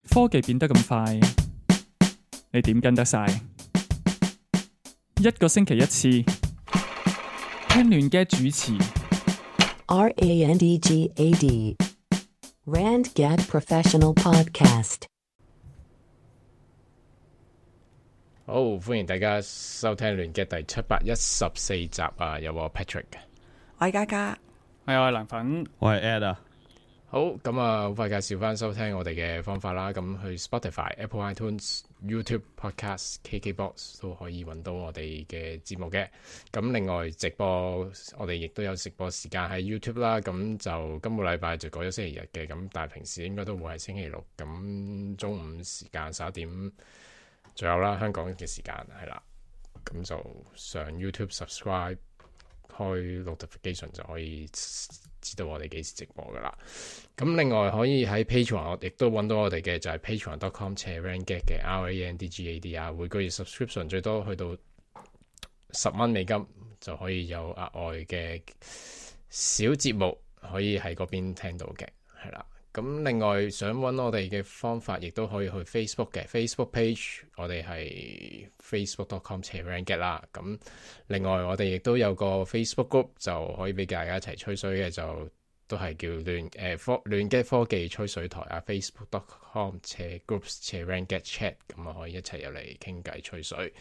科技變得咁快，你點跟得晒？一個星期一次，聽亂嘅主持。RANDGAD RandGad Professional Podcast。好，歡迎大家收聽亂嘅第714集啊！有我 Patrick，我係嘉嘉，係我係涼粉，我係 Ed 啊。好，咁啊，好快介紹翻收聽我哋嘅方法啦。咁去 Spotify、Apple iTunes、YouTube Podcast、KKBox 都可以揾到我哋嘅節目嘅。咁另外直播，我哋亦都有直播時間喺 YouTube 啦。咁就今個禮拜就改咗星期日嘅，咁但係平時應該都會係星期六。咁中午時間11點左右啦，香港嘅時間係啦。咁就上 YouTube subscribe 開 notification 就可以知道我哋幾時直播噶啦。咁另外可以喺 Patreon 我亦都揾到我哋嘅，就係 patreon.com/randgad 嘅 RANDGAD 啊。每個月 subscription 最多去到$10就可以有額外嘅小節目可以喺嗰邊聽到嘅，係啦。咁另外想揾我哋嘅方法，亦都可以去 Facebook 嘅 Facebook page， 我哋係 facebook.com/randgad 啦。咁另外我哋亦都有個 Facebook group， 就可以俾大家一齊吹水嘅，就都係叫亂嘅科技吹水台啊。facebook.com/groups/randgadchat， 咁啊可以一齊入嚟傾偈吹水。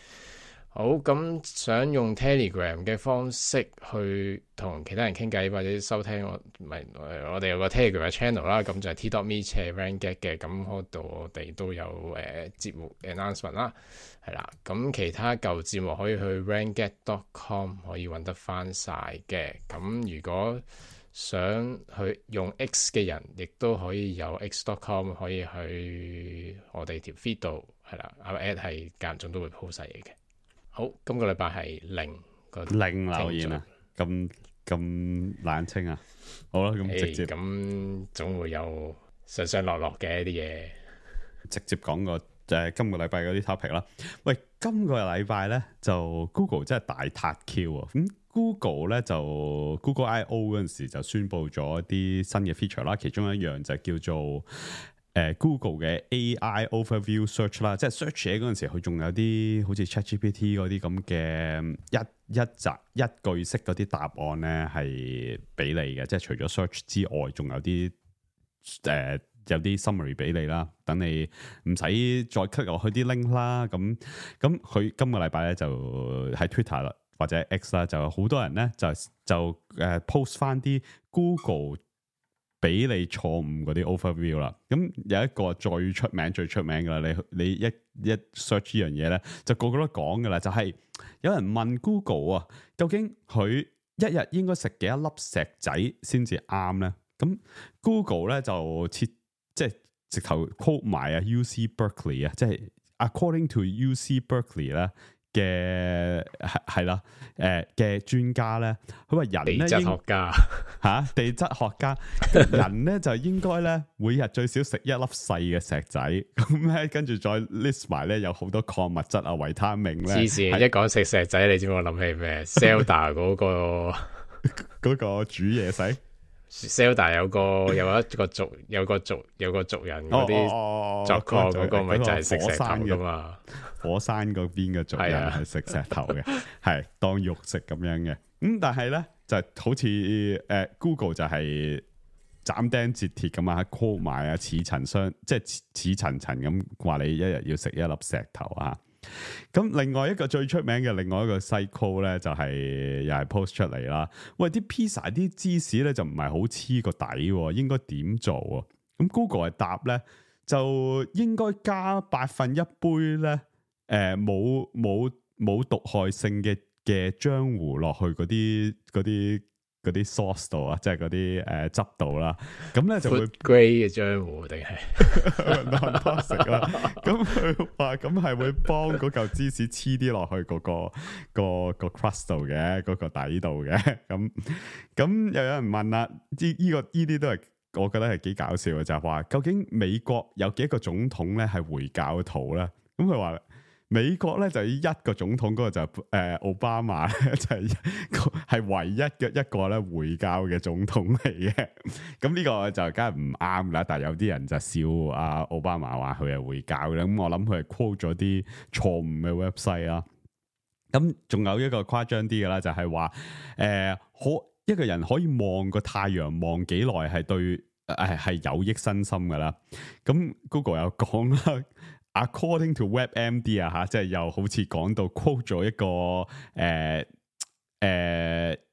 好，咁想用 Telegram 嘅方式去同其他人傾偈或者收聽我哋有個 Telegram 嘅 channel 啦，咁就係 t.me/randgad 嘅，咁嗰度我哋都有節目 announcement 啦，係啦。咁其他舊節目可以去 randgad.com 可以揾得翻晒嘅。咁如果想去用 X 嘅人，亦都可以有 x.com 可以去我哋條 feed 度，係啦，阿 Ed 係間中都會 post 晒嘢嘅。好，今個禮拜係零留言啊，咁冷清啊。好啦，咁直接咁總會有上上落落嘅一啲嘢，直接講個今個禮拜嗰啲 topic 啦。喂，今個禮拜咧就 Google 真係大撻 Q 啊！咁 Google 咧就 Google I/O 嗰陣時就宣布咗一啲新嘅 feature 啦，其中一樣就叫做Google 嘅 AI Overview Search 啦，即係 search 嘢嗰陣時，佢仲有啲好似 ChatGPT 嗰啲咁嘅一句式嗰啲答案咧，係俾你嘅。即係除咗 search 之外，仲有啲有啲 summary 俾你啦，等你唔使再 click 落去啲 link 啦。咁佢今個禮拜咧就喺 Twitter 啦或者 X 啦，就好多人咧就post 翻啲 Google俾你錯誤嗰啲 overview 啦，咁有一個最出名噶啦，你一 search 呢樣嘢咧，就個個都講噶啦，就係有人問 Google 啊，究竟佢一日應該食幾多粒石仔先至啱咧？咁 Google 咧就即係直頭 quote 埋啊 UC Berkeley 啊，即係 according to UC Berkeley 咧嘅係啦，嘅專家咧，佢話人咧地質學家地質學家人咧就應該咧每日最少食一粒細嘅石仔，咁咧跟住再 list 埋咧有好多礦物質啊、維他命咧。黐線，一講食石仔，你知唔知我諗起咩？Zelda 嗰個煮嘢食。Zelda 有個族人嗰啲作礦嗰個咪就係食石頭噶嘛，火山嗰邊嘅族人係食石頭嘅，係當肉食咁樣嘅。但係咧就好似Google 就係斬釘截鐵咁啊 call 埋啊似層即係似層咁話你一日要食一粒石頭啊。咁另外一個最出名嘅另外一個 cycle 咧就係又係 post 出嚟啦。喂，啲 pizza 啲芝士咧就唔係好黐個底，應該點做啊？咁 Google 係答咧就應該加1/8杯咧冇毒害性嘅漿糊落去嗰啲 sauce 度啊，即係嗰啲汁度啦，咁咧就會 grade 嘅漿糊定係 non-toxic 啦。咁佢話咁係會幫嗰嚿芝士黐啲落去嗰個 crust 度嘅，嗰個底度嘅。咁又有人問啦，呢啲都係我覺得係幾搞笑嘅，就係話究竟美國有幾個總統咧係回教徒咧？咁佢話美國咧就一個總統，嗰個就奧巴馬咧就係唯一嘅一個咧回教嘅總統嚟嘅。咁呢個就梗係唔啱啦。但係有啲人就笑阿奧巴馬話佢係回教嘅，咁我諗佢係 quote 咗啲錯誤嘅 website 啦。咁仲有一個誇張啲嘅啦，就係話一個人可以望個太陽望幾耐係對係有益身心噶啦。咁 Google 有講啦，according to WebMD 啊嚇，即係又好似講到 quote 咗一個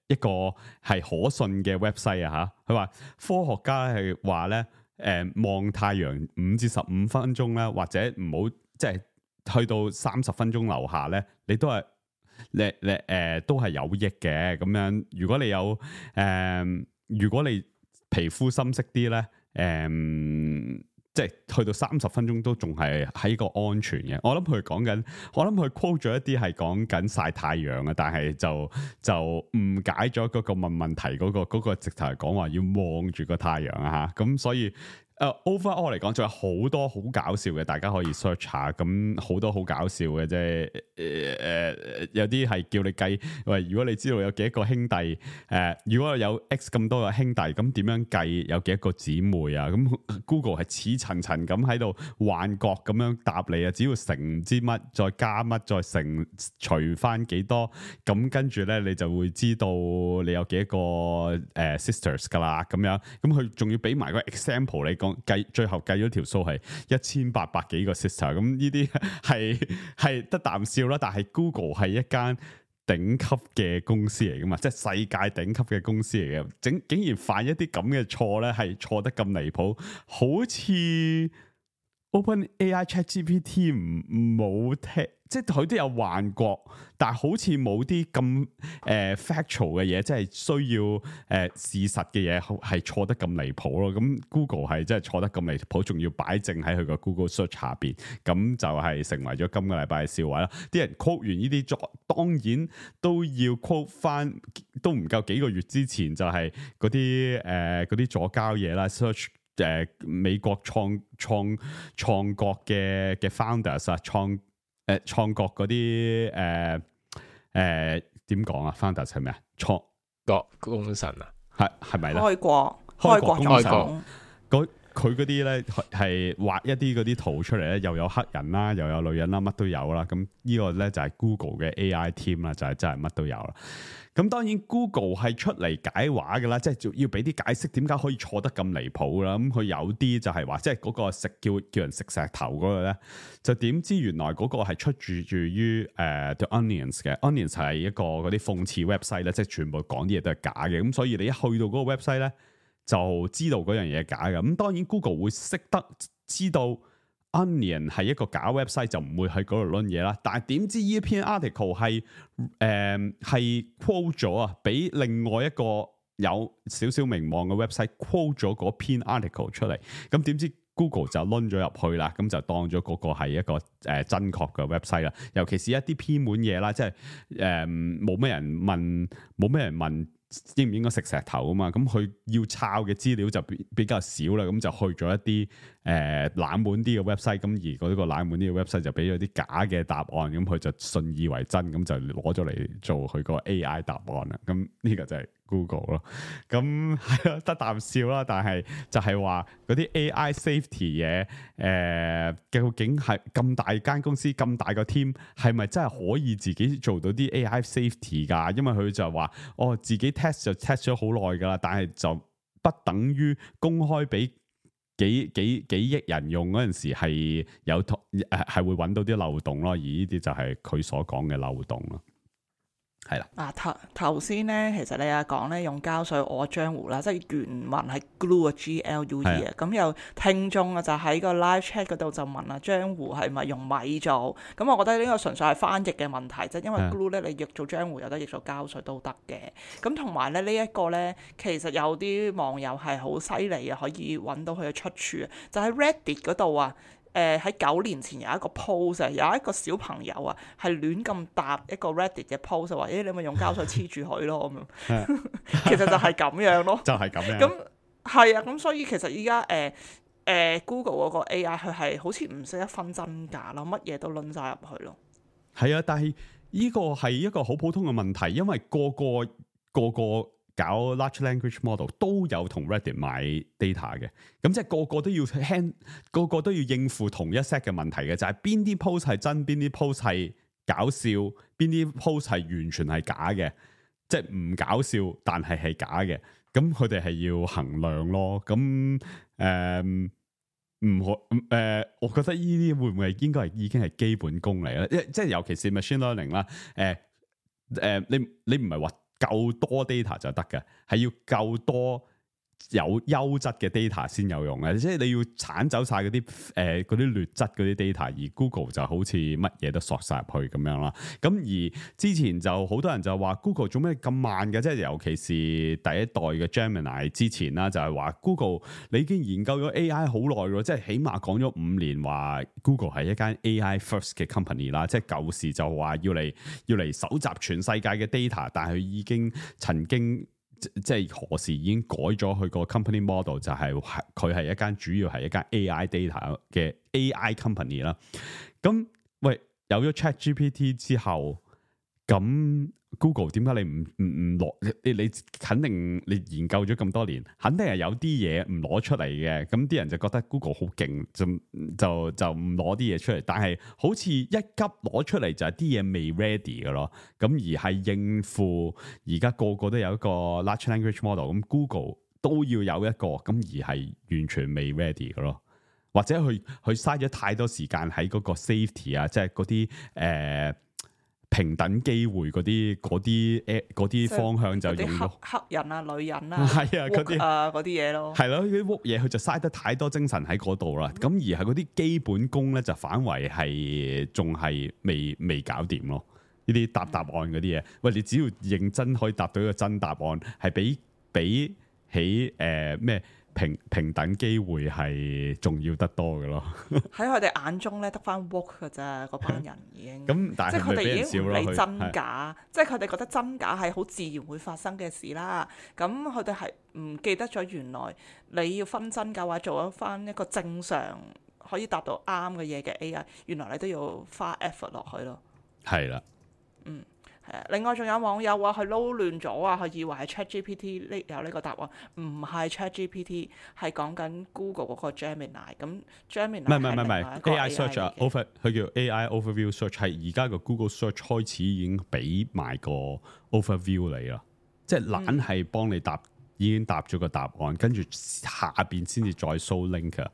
一個係可信嘅 website 啊嚇。佢話科學家係話咧望太陽5至15分鐘咧，或者唔好即係去到30分鐘樓下咧，你都係。都係有益嘅咁樣。如果你有如果你皮膚深色啲咧，即係去到30分鐘都仲係喺個安全嘅。我諗佢講緊，我諗佢 quote 咗一啲係講緊曬太陽啊，但係就誤解咗嗰個問題嗰個直頭係講話要望住個太陽啊嚇。咁所以。overall 嚟講，仲有好多好搞笑嘅，大家可以 search 下。咁好多好搞笑嘅啫。有啲係叫你計，喂，如果你知道有幾多個兄弟，如果有 X 咁多個兄弟，咁點樣計有幾多個姊妹啊？咁 Google 係似層層咁喺度幻覺咁樣答你啊！只要乘唔知乜，再加乜，再乘除翻幾多，咁跟住咧你就會知道你有幾多個sisters 噶啦。咁樣，咁佢仲要俾埋個 example 你講。最後計咗條數係1800幾個 sister， 咁呢啲係得啖笑啦。但係 Google 係一間頂級嘅公司嚟噶嘛，即係世界頂級嘅公司嚟嘅，竟然犯一啲咁嘅錯咧，係錯得咁離譜，好似 OpenAI ChatGPT 冇聽。即係佢都有幻覺，但係好似冇啲咁factual 嘅嘢，即係需要事實嘅嘢係錯得咁離譜咯。咁 Google 係真係錯得咁離譜，仲要擺正喺佢個 Google Search 下邊，咁就係成為咗今個禮拜嘅笑話啦。啲人 quote 完呢啲當然都要 quote 翻，都唔夠幾個月之前就係嗰啲左膠嘢啦 ，search。美國創國嘅 founders 啊，創國嗰啲點講啊 ？founders 係咩啊？創國功臣啊，係咪咧？開國功臣，國佢嗰啲咧係畫一啲嗰啲圖出嚟咧，又有黑人啦，又有女人啦，乜都有啦。咁呢個咧就係 Google 嘅 AI team 啦，就係真係乜都有啦。咁當然 Google 係出嚟解話㗎啦，即係要俾啲解釋點解可以錯得咁離譜啦。咁佢有啲就係話，即係嗰個叫人食石頭嗰個咧，就點知原來嗰個係出自於The Onions 嘅。Onions 係一個嗰啲諷刺 website 咧，即係全部講啲嘢都係假嘅。咁所以你一去到嗰個 website 咧，就知道嗰樣嘢係假嘅。咁當然 Google 會識得知道 Onion 係一個假 website，就唔會喺嗰度論嘢啦。但係點知呢篇 article 係quote 咗啊，俾另外一個有少少名望嘅 website quote 咗嗰篇 article 出嚟。咁點知 Google 就論咗入去啦，咁就當咗嗰個係一個真確嘅 website 啦。尤其是一啲偏門嘢啦，即係冇咩人問。應唔應該食石頭啊嘛？咁佢要抄嘅資料就比較少啦，咁就去咗一啲冷門啲嘅 website，咁而嗰個冷門啲嘅 website 就俾咗啲假嘅答案，咁佢就信以為真，咁就攞咗嚟做佢個 AI 答案啦。咁呢個就係 Google 咯。咁係咯，得啖笑啦。但係就係話嗰啲 AI safety 嘢，究竟係咁大間公司咁大個 team，係咪真係可以自己做到啲 AI safety 㗎？因為佢就話自己 test 就 test 咗好耐㗎啦，但係就不等於公開俾幾億人用嗰陣時係係會揾到啲漏洞咯，而呢啲就係佢所講嘅漏洞咯。係啦，頭先咧，其實你又講咧用膠水我漿糊啦，即係原文係 glue 啊 GLUE 啊，咁有聽眾啊就喺個 live chat 嗰度就問啊，漿糊係咪用米做？咁我覺得呢個純粹係翻譯嘅問題啫，因為 glue 咧你譯做漿糊有得譯做膠水都得嘅。咁同埋咧呢一個咧，其實有啲網友係好犀利啊，可以揾到佢嘅出處啊，就喺 Reddit 嗰度啊。喺9年前有一個 post 有一個小朋友啊，係亂咁答一個 Reddit 嘅 post 話，你咪用膠水黐住佢咯咁樣。其實就係咁樣咯，就係咁樣。咁係啊，咁所以其實依家Google 嗰個 AI 佢係好似唔識得分真假咯，乜嘢都論晒入去咯。係啊，但係呢個係一個好普通嘅問題，因為個個搞 large language model 都有同 Reddit 買 data 嘅，咁即係個個都要應付同一 set 嘅問題嘅，就係邊啲 post 係真，邊啲 post 係搞笑，邊啲 post 係完全係假嘅，即係唔搞笑但係假嘅，咁佢哋係要衡量咯。咁唔可我覺得呢啲會唔會應該係已經係基本功嚟咧？即係尤其是 machine learning 啦，你唔係話夠多 data 就得嘅，係要夠多有優質嘅 data 先有用嘅，即係你要剷走晒嗰啲劣質嗰啲 data，而 Google 就好似乜嘢都索晒入去咁樣啦。咁而之前就好多人就話 Google 做咩咁慢嘅，即係尤其是第一代嘅 Gemini 之前啦，就係話 Google 你已經研究咗 AI 好耐咯，即係起碼講咗5年話 Google 係一間 AI first 嘅 company 啦，即係舊時就話要嚟搜集全世界嘅 data， 但係佢已經曾經即係何時已經改咗佢個 company model， 就係佢係一間主要係一間 AI data 嘅 AI company 啦。咁喂，有咗 ChatGPT 之後，咁 Google 點解你唔攞？你肯定你研究咗咁多年，肯定係有啲嘢唔攞出嚟嘅。咁啲人就覺得 Google 好勁，就唔攞啲嘢出嚟。但係好似一急攞出嚟就係啲嘢未 ready 嘅咯。咁而係應付而家個個都有一個 large language model，咁 Google 都要有一個，咁而係完全未 ready 嘅咯。或者佢嘥咗太多時間喺嗰個 safety 啊，即係嗰啲平等機會嗰啲方向就用咗黑人啊、女人啊，係啊嗰啲嘢咯，係咯，啲屋嘢佢就嘥得太多精神喺嗰度啦。咁而係嗰啲基本功咧，就反為係仲係未搞掂咯。呢啲答案嗰啲嘢，喂，你只要認真可以答到一個真答案，係比起咩？平等機會係重要得多嘅咯。喺佢哋眼中咧，得翻 work 嘅啫，嗰班人已經。咁但係即係佢哋已經唔理真佢假，即係佢哋覺得真假係好自然會發生嘅事啦。咁佢哋係唔記得咗原來你要分真假，或者做翻一個正常可以答到啱嘅嘢嘅 AI，原來你都要花 effort 落去咯。係啦，嗯。另外仲有網友話佢撈亂咗啊，佢以為係 ChatGPT 有呢個答案，唔係 ChatGPT， 係講緊 Google 嗰個 Gemini。咁 Gemini 唔係 AI Search 啊，佢叫 AI Overview Search， 係而家個 Google Search 開始已經俾埋個 Overview 你啦，即係懶係幫你已經答咗個答案，跟住下邊先至再 show link 啊。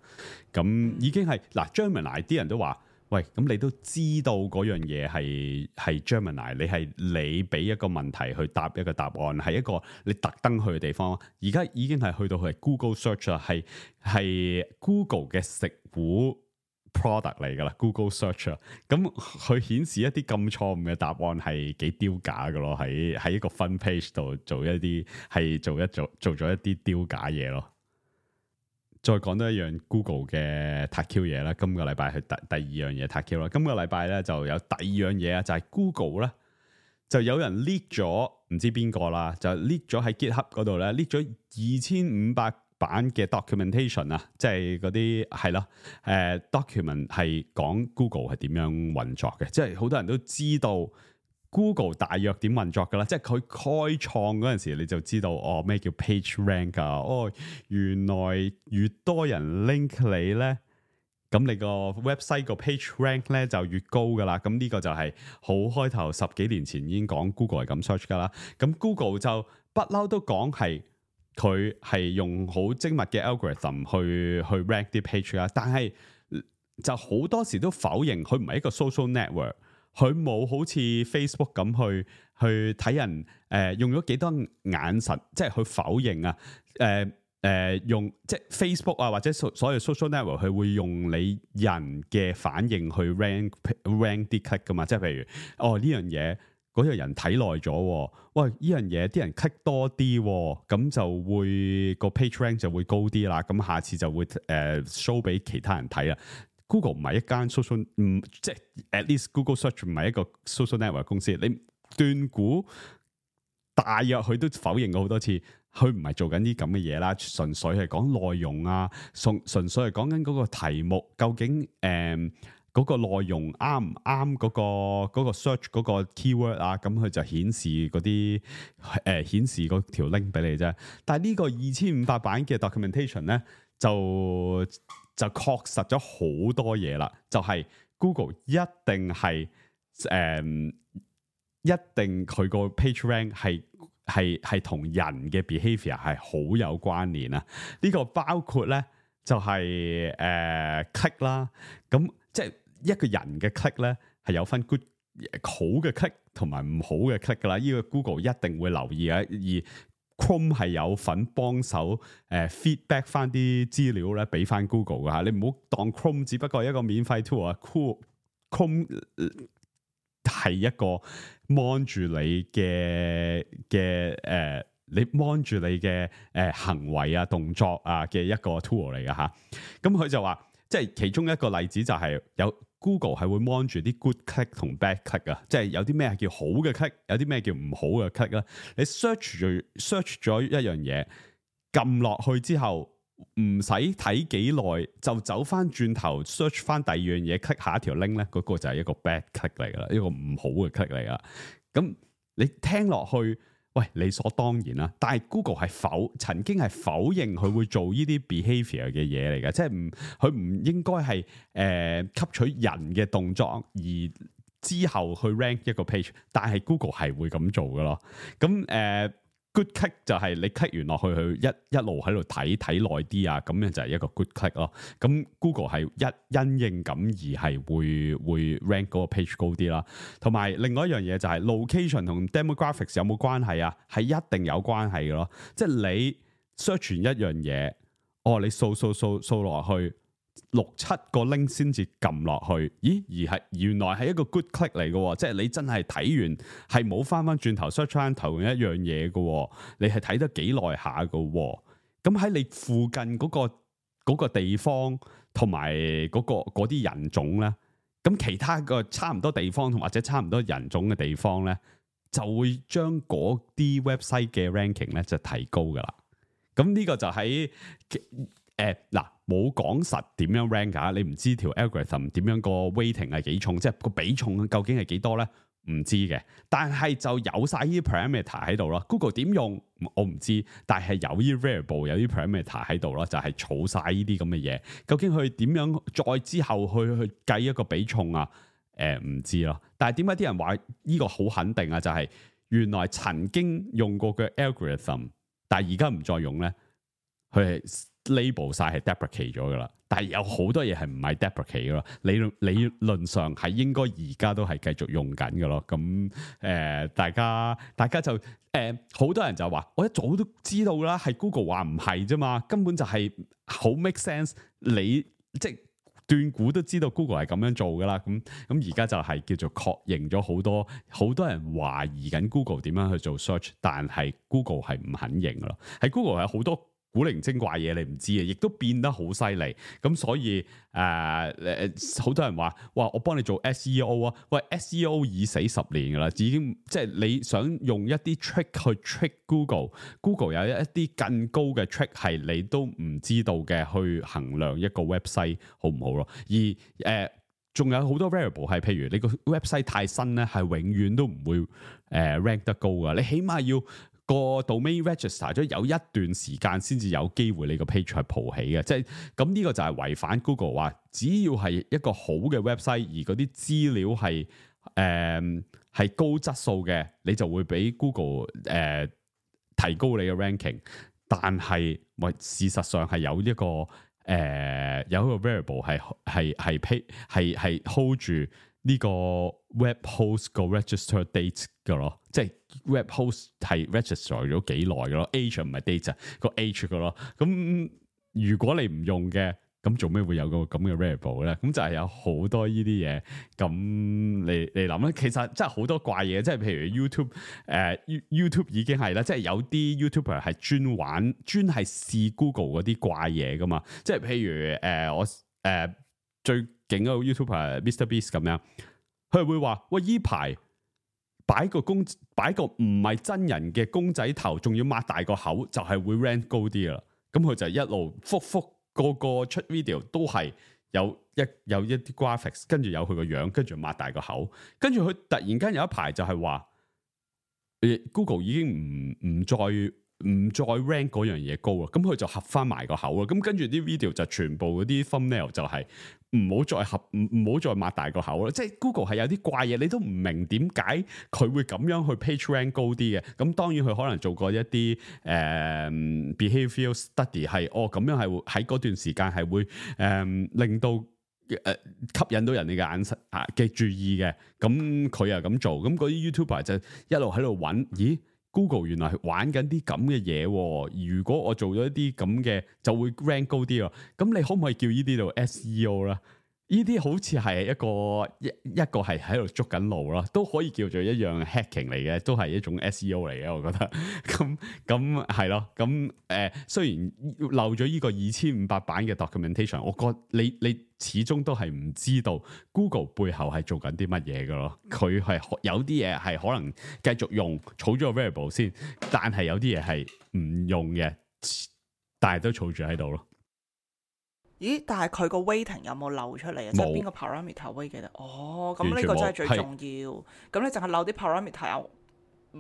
咁已經係嗱 Gemini 啲人都話。喂，咁你都知道嗰樣嘢係 Gemini， 你俾一個問題去答一個答案，係一個你特登去嘅地方。而家已經係去到係 Google Search 啦，係 Google 嘅食糊 product 嚟噶啦 ，Google Search 啊。咁佢顯示一啲咁錯誤嘅答案係幾丟架噶咯，喺一個 front page 度做咗一啲丟架嘢咯。再講多一樣 Google 嘅 TAQ 嘢啦，今個禮拜係第二樣嘢 TAQ 啦。今個禮拜咧就有第二樣嘢啊，就係 Google 咧就有人 leak 咗，唔知邊個啦，就 leak 咗喺 GitHub 嗰度咧 leak 咗2500版嘅 documentation 啊，即係嗰啲係咯，document 係講 Google 係點樣運作嘅，即係好多人都知道。Google 大約點運作㗎啦，即係佢開創嗰陣時，你就知道哦咩叫 page rank 啊，哦原來越多人 link 你咧，咁你個 website 個 page rank 咧就越高㗎啦。咁呢個就係好開頭10幾年前已經講 Google 係咁 search 㗎啦。咁 Google 就不嬲都講係佢係用好精密嘅 algorithm 去 rank 啲 page 啦，但係就好多時都否認佢唔係一個 social network。佢冇好似 Facebook 咁去睇人用咗幾多眼神，即係去否認啊用即係 Facebook 啊或者所有 social network 佢會用你人嘅反應去 rank 啲 click 噶嘛，即係譬如哦呢樣嘢嗰個人睇耐咗，喂呢樣嘢啲人 click 多啲，咁就會個 page rank 就會高啲啦，咁下次就會show 俾其他人睇啦。Google 唔係一間 social， 即係 at least Google Search 唔係一個 social network 公司。你斷估大約佢都否認過好多次，佢唔係做緊啲咁嘅嘢啦，純粹係講內容啊，純粹係講緊嗰個題目究竟嗰個內容啱唔啱嗰個 search 嗰個 keyword 啊，咁佢就顯示嗰啲顯示嗰條 link 俾你啫。但係呢個2500版嘅 documentation 咧，就確實咗好多嘢啦，就係 Google 一定係一定佢個 page rank 係同人嘅 behavior 係好有關聯啊！呢個包括咧就係click 啦，咁即係一個人嘅 click 咧係有分 good 好嘅 click 同埋唔好嘅 click 噶啦，呢個 Google 一定會留意嘅，而 Chrome 係有份幫手feedback 翻啲資料咧俾翻 Google 噶嚇，你唔好當 Chrome 只不過係一個免費 tool 啊，Chrome 係一個 mon 住你嘅你 mon 住你嘅行為啊動作啊嘅一個 tool 嚟㗎嚇。咁佢就話，即係其中一個例子就係有 Google 係會 mon 住啲 good click 同 bad click 啊，即係有啲咩係叫好嘅 click， 有啲咩叫唔好嘅 click 啦。你 search 咗一樣嘢，撳落去之後，唔使睇幾耐就走翻轉頭 search 翻第二樣嘢 click 下一條 link 咧，嗰個就係一個 bad click 嚟噶啦，一個唔好嘅 click 嚟噶。咁你聽落去，喂，理所當然啦。但係 Google 係曾經係否認佢會做呢啲 behavior 嘅嘢嚟嘅，即係佢唔應該係吸取人嘅動作而之後去 rank 一個 page， 但係 Google 係會咁做噶咯。咁good click 就係你 click 完落去，佢一路喺度睇耐啲啊，咁樣就係一個 good click 咯。咁 Google 係因應咁而係會 rank 嗰個 page 高啲啦。同埋另外一樣嘢就係 location 同 demographics 有冇關係啊？係一定有關係嘅咯。即係你 search 完一樣嘢，你掃落去。6-7個 link 先至撳落去，咦？而係原來係一個 good click 嚟嘅，即係你真係睇完係冇翻轉頭 search 翻頭一樣嘢嘅，你係睇得幾耐下嘅。咁喺你附近嗰個地方同埋嗰啲人種咧，咁其他個差唔多地方同或者差唔多人種嘅地方咧，就會將嗰啲 website 嘅 ranking 咧就提高噶啦。咁呢個就喺嗱。冇講實點樣 rank 㗎，你唔知條 algorithm 點樣個 weighting 係幾重，即係個比重究竟係幾多咧？唔知嘅，但係就有晒呢啲 parameter 喺度咯。Google 點用我唔知，但係有啲 variable 有啲 parameter 喺度咯，就係儲晒呢啲咁嘅嘢。究竟佢點樣再之後去計一個比重啊？唔知咯。但係點解啲人話呢個好肯定啊？就係原來曾經用過嘅 algorithm， 但係而家唔再用咧，佢係label 晒係 deprecate 咗噶啦，但係有好多嘢係唔係 deprecate 噶咯，理論上係應該而家都係繼續用緊噶咯。咁大家就好多人就話，我一早都知道啦，係 Google 話唔係啫嘛，根本就係好 make sense， 你即係斷估都知道 Google 係咁樣做噶啦。咁而家就係叫做確認咗好多人懷疑緊 Google 點樣去做 search， 但係 Google 係唔肯認噶咯，喺 Google 有好多古靈精怪嘢你唔知嘅，亦都變得好犀利。咁所以好多人話，哇！我幫你做 SEO 啊，喂 SEO 已死10年噶啦，已經即係你想用一啲 trick 去 trick Google 有一啲更高嘅 trick 係你都唔知道嘅，去衡量一個 website 好唔好咯。而仲有好多 variable 係，譬如你個 website 太新咧，係永遠都唔會rank 得高噶。你起碼要個 domain register 咗有一段時間先至有機會你個 page 係蒲起嘅，即係咁呢個就係違反 Google 話，只要係一個好嘅 website，而嗰啲資料係高質素嘅，你就會俾 Google 提高你嘅 ranking。但係事實上係有一個variable 係 hold 住呢個 web host 個 register date 嘅咯，即係 web host 係 register 咗幾耐嘅咯 ，age 唔係 date 個 age 嘅咯。咁如果你唔用嘅，咁做咩會有個咁嘅 variable 咧？咁就係有好多呢啲嘢。咁你諗咧，其實真係好多怪嘢，即係譬如 YouTube 已經係啦，即係有啲 YouTuber 係專係試 Google 嗰啲怪嘢噶嘛。即係譬如我最勁嗰個 YouTuber MrBeast 咁樣，佢會話：喂，依排擺個唔係真人嘅公仔頭，仲要擘大個口，就係會 rank 高啲啦。咁佢就一路復個出 video 都係有一啲 graphics， 跟住有佢個樣，跟住擘大個口，跟住佢突然間有一排就係話，Google 已經唔再 rank 嗰樣嘢高啦，咁佢就合翻埋個口啦，咁跟住啲 video 就全部嗰啲 thumbnail 就係唔好再擘大個口啦，即係 Google 係有啲怪嘢，你都唔明點解佢會咁樣去 page rank 高啲嘅，咁當然佢可能做過一啲behavioral study 係咁樣係喺嗰段時間係會令到吸引到人哋嘅眼神嘅注意嘅，咁佢又咁做，咁嗰啲 YouTuber 就一路喺度揾，咦？Google 原來係玩緊啲咁嘅嘢喎，如果我做咗一啲咁嘅，就會 rank 高啲喎。咁你可唔可以叫呢啲做 SEO 啦？呢啲好似係一個係喺度捉緊路啦，都可以叫做一樣 hacking 嚟嘅，都係一種 SEO 嚟嘅，我覺得。咁係咯，咁雖然漏咗呢個2500版嘅 documentation， 我覺得你始終都係唔知道 Google 背後係做緊啲乜嘢嘅咯。佢係有啲嘢係可能繼續用，儲咗個 variable 先，但係有啲嘢係唔用嘅，但係都儲住喺度咯。咦？但係佢個 weighting 有冇漏出嚟啊？即係邊個 parameter weight 嘅？咁呢個真係最重要。咁你淨係漏啲 parameter 又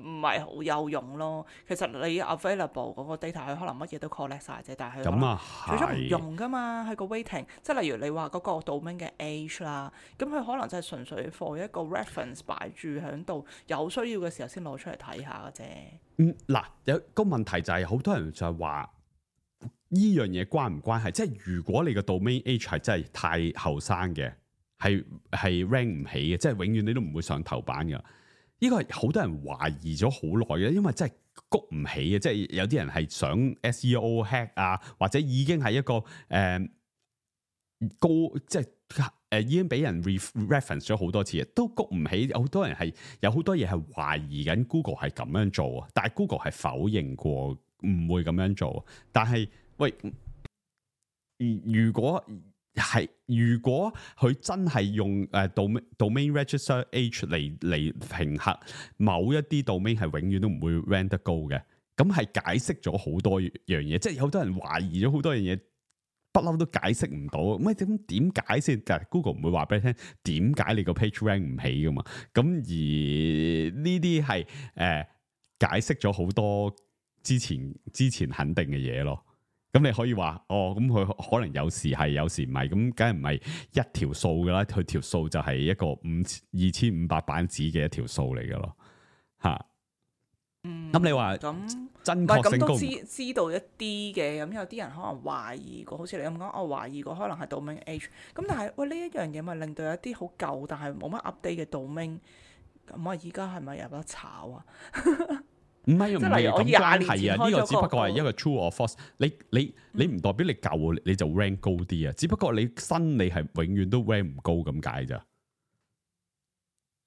唔係好有用咯。其實你 available 嗰個 data 佢可能乜嘢都 collect 晒啫，但係佢最終唔用噶嘛。佢個 weighting 即係例如你話嗰個 domain 嘅 age 啦，咁佢可能就係純粹 for 一個 reference 擺住喺度，有需要嘅時候先攞出嚟睇下嘅啫。嗱，有個問題就係好多人就係話。呢樣嘢關唔關係？即係如果你個 domain age 係真係太後生嘅，係 rank 唔起嘅，即係永遠你都唔會上頭版噶。呢個係好多人懷疑咗好耐嘅，因為真係谷唔起嘅。即係有啲人係想 SEO hack 啊，或者已經係一個高，即係已經俾人 reference 咗好多次，都谷唔起。好多人係有好多嘢係懷疑緊 Google 係咁樣做啊，但係 Google 係否認過唔會咁樣做。但係喂，如果佢真係用domain register age 嚟評核某一啲 domain 係永遠都唔會 rank 得高嘅，咁係解釋咗好多樣嘢，即係有好多人懷疑咗好多樣嘢，不嬲都解釋唔到。咁點解先？但係 Google 唔會話俾你聽點解你個 page rank 唔起噶嘛？咁而呢啲係解釋咗好多之前肯定嘅嘢咯。咁你可以話咁佢可能有時係，有時唔係，咁梗係唔係一條數噶啦？佢條數就係一個2500版紙嘅一條數嚟噶咯，吓。咁你話咁真確性高唔高？咁都知道一啲嘅，咁有啲人可能懷疑過，好似你咁講，我懷疑過可能係 domain age。咁但係喂呢一樣嘢咪令到有啲好舊但係冇乜 update 嘅 domain， 咁而家係咪有得炒啊？唔係咁關係啊！呢個只不過係一個 true or false。你唔代表你舊你就 rank 高啲啊！只不過你新你係永遠都 rank 唔高咁解咋？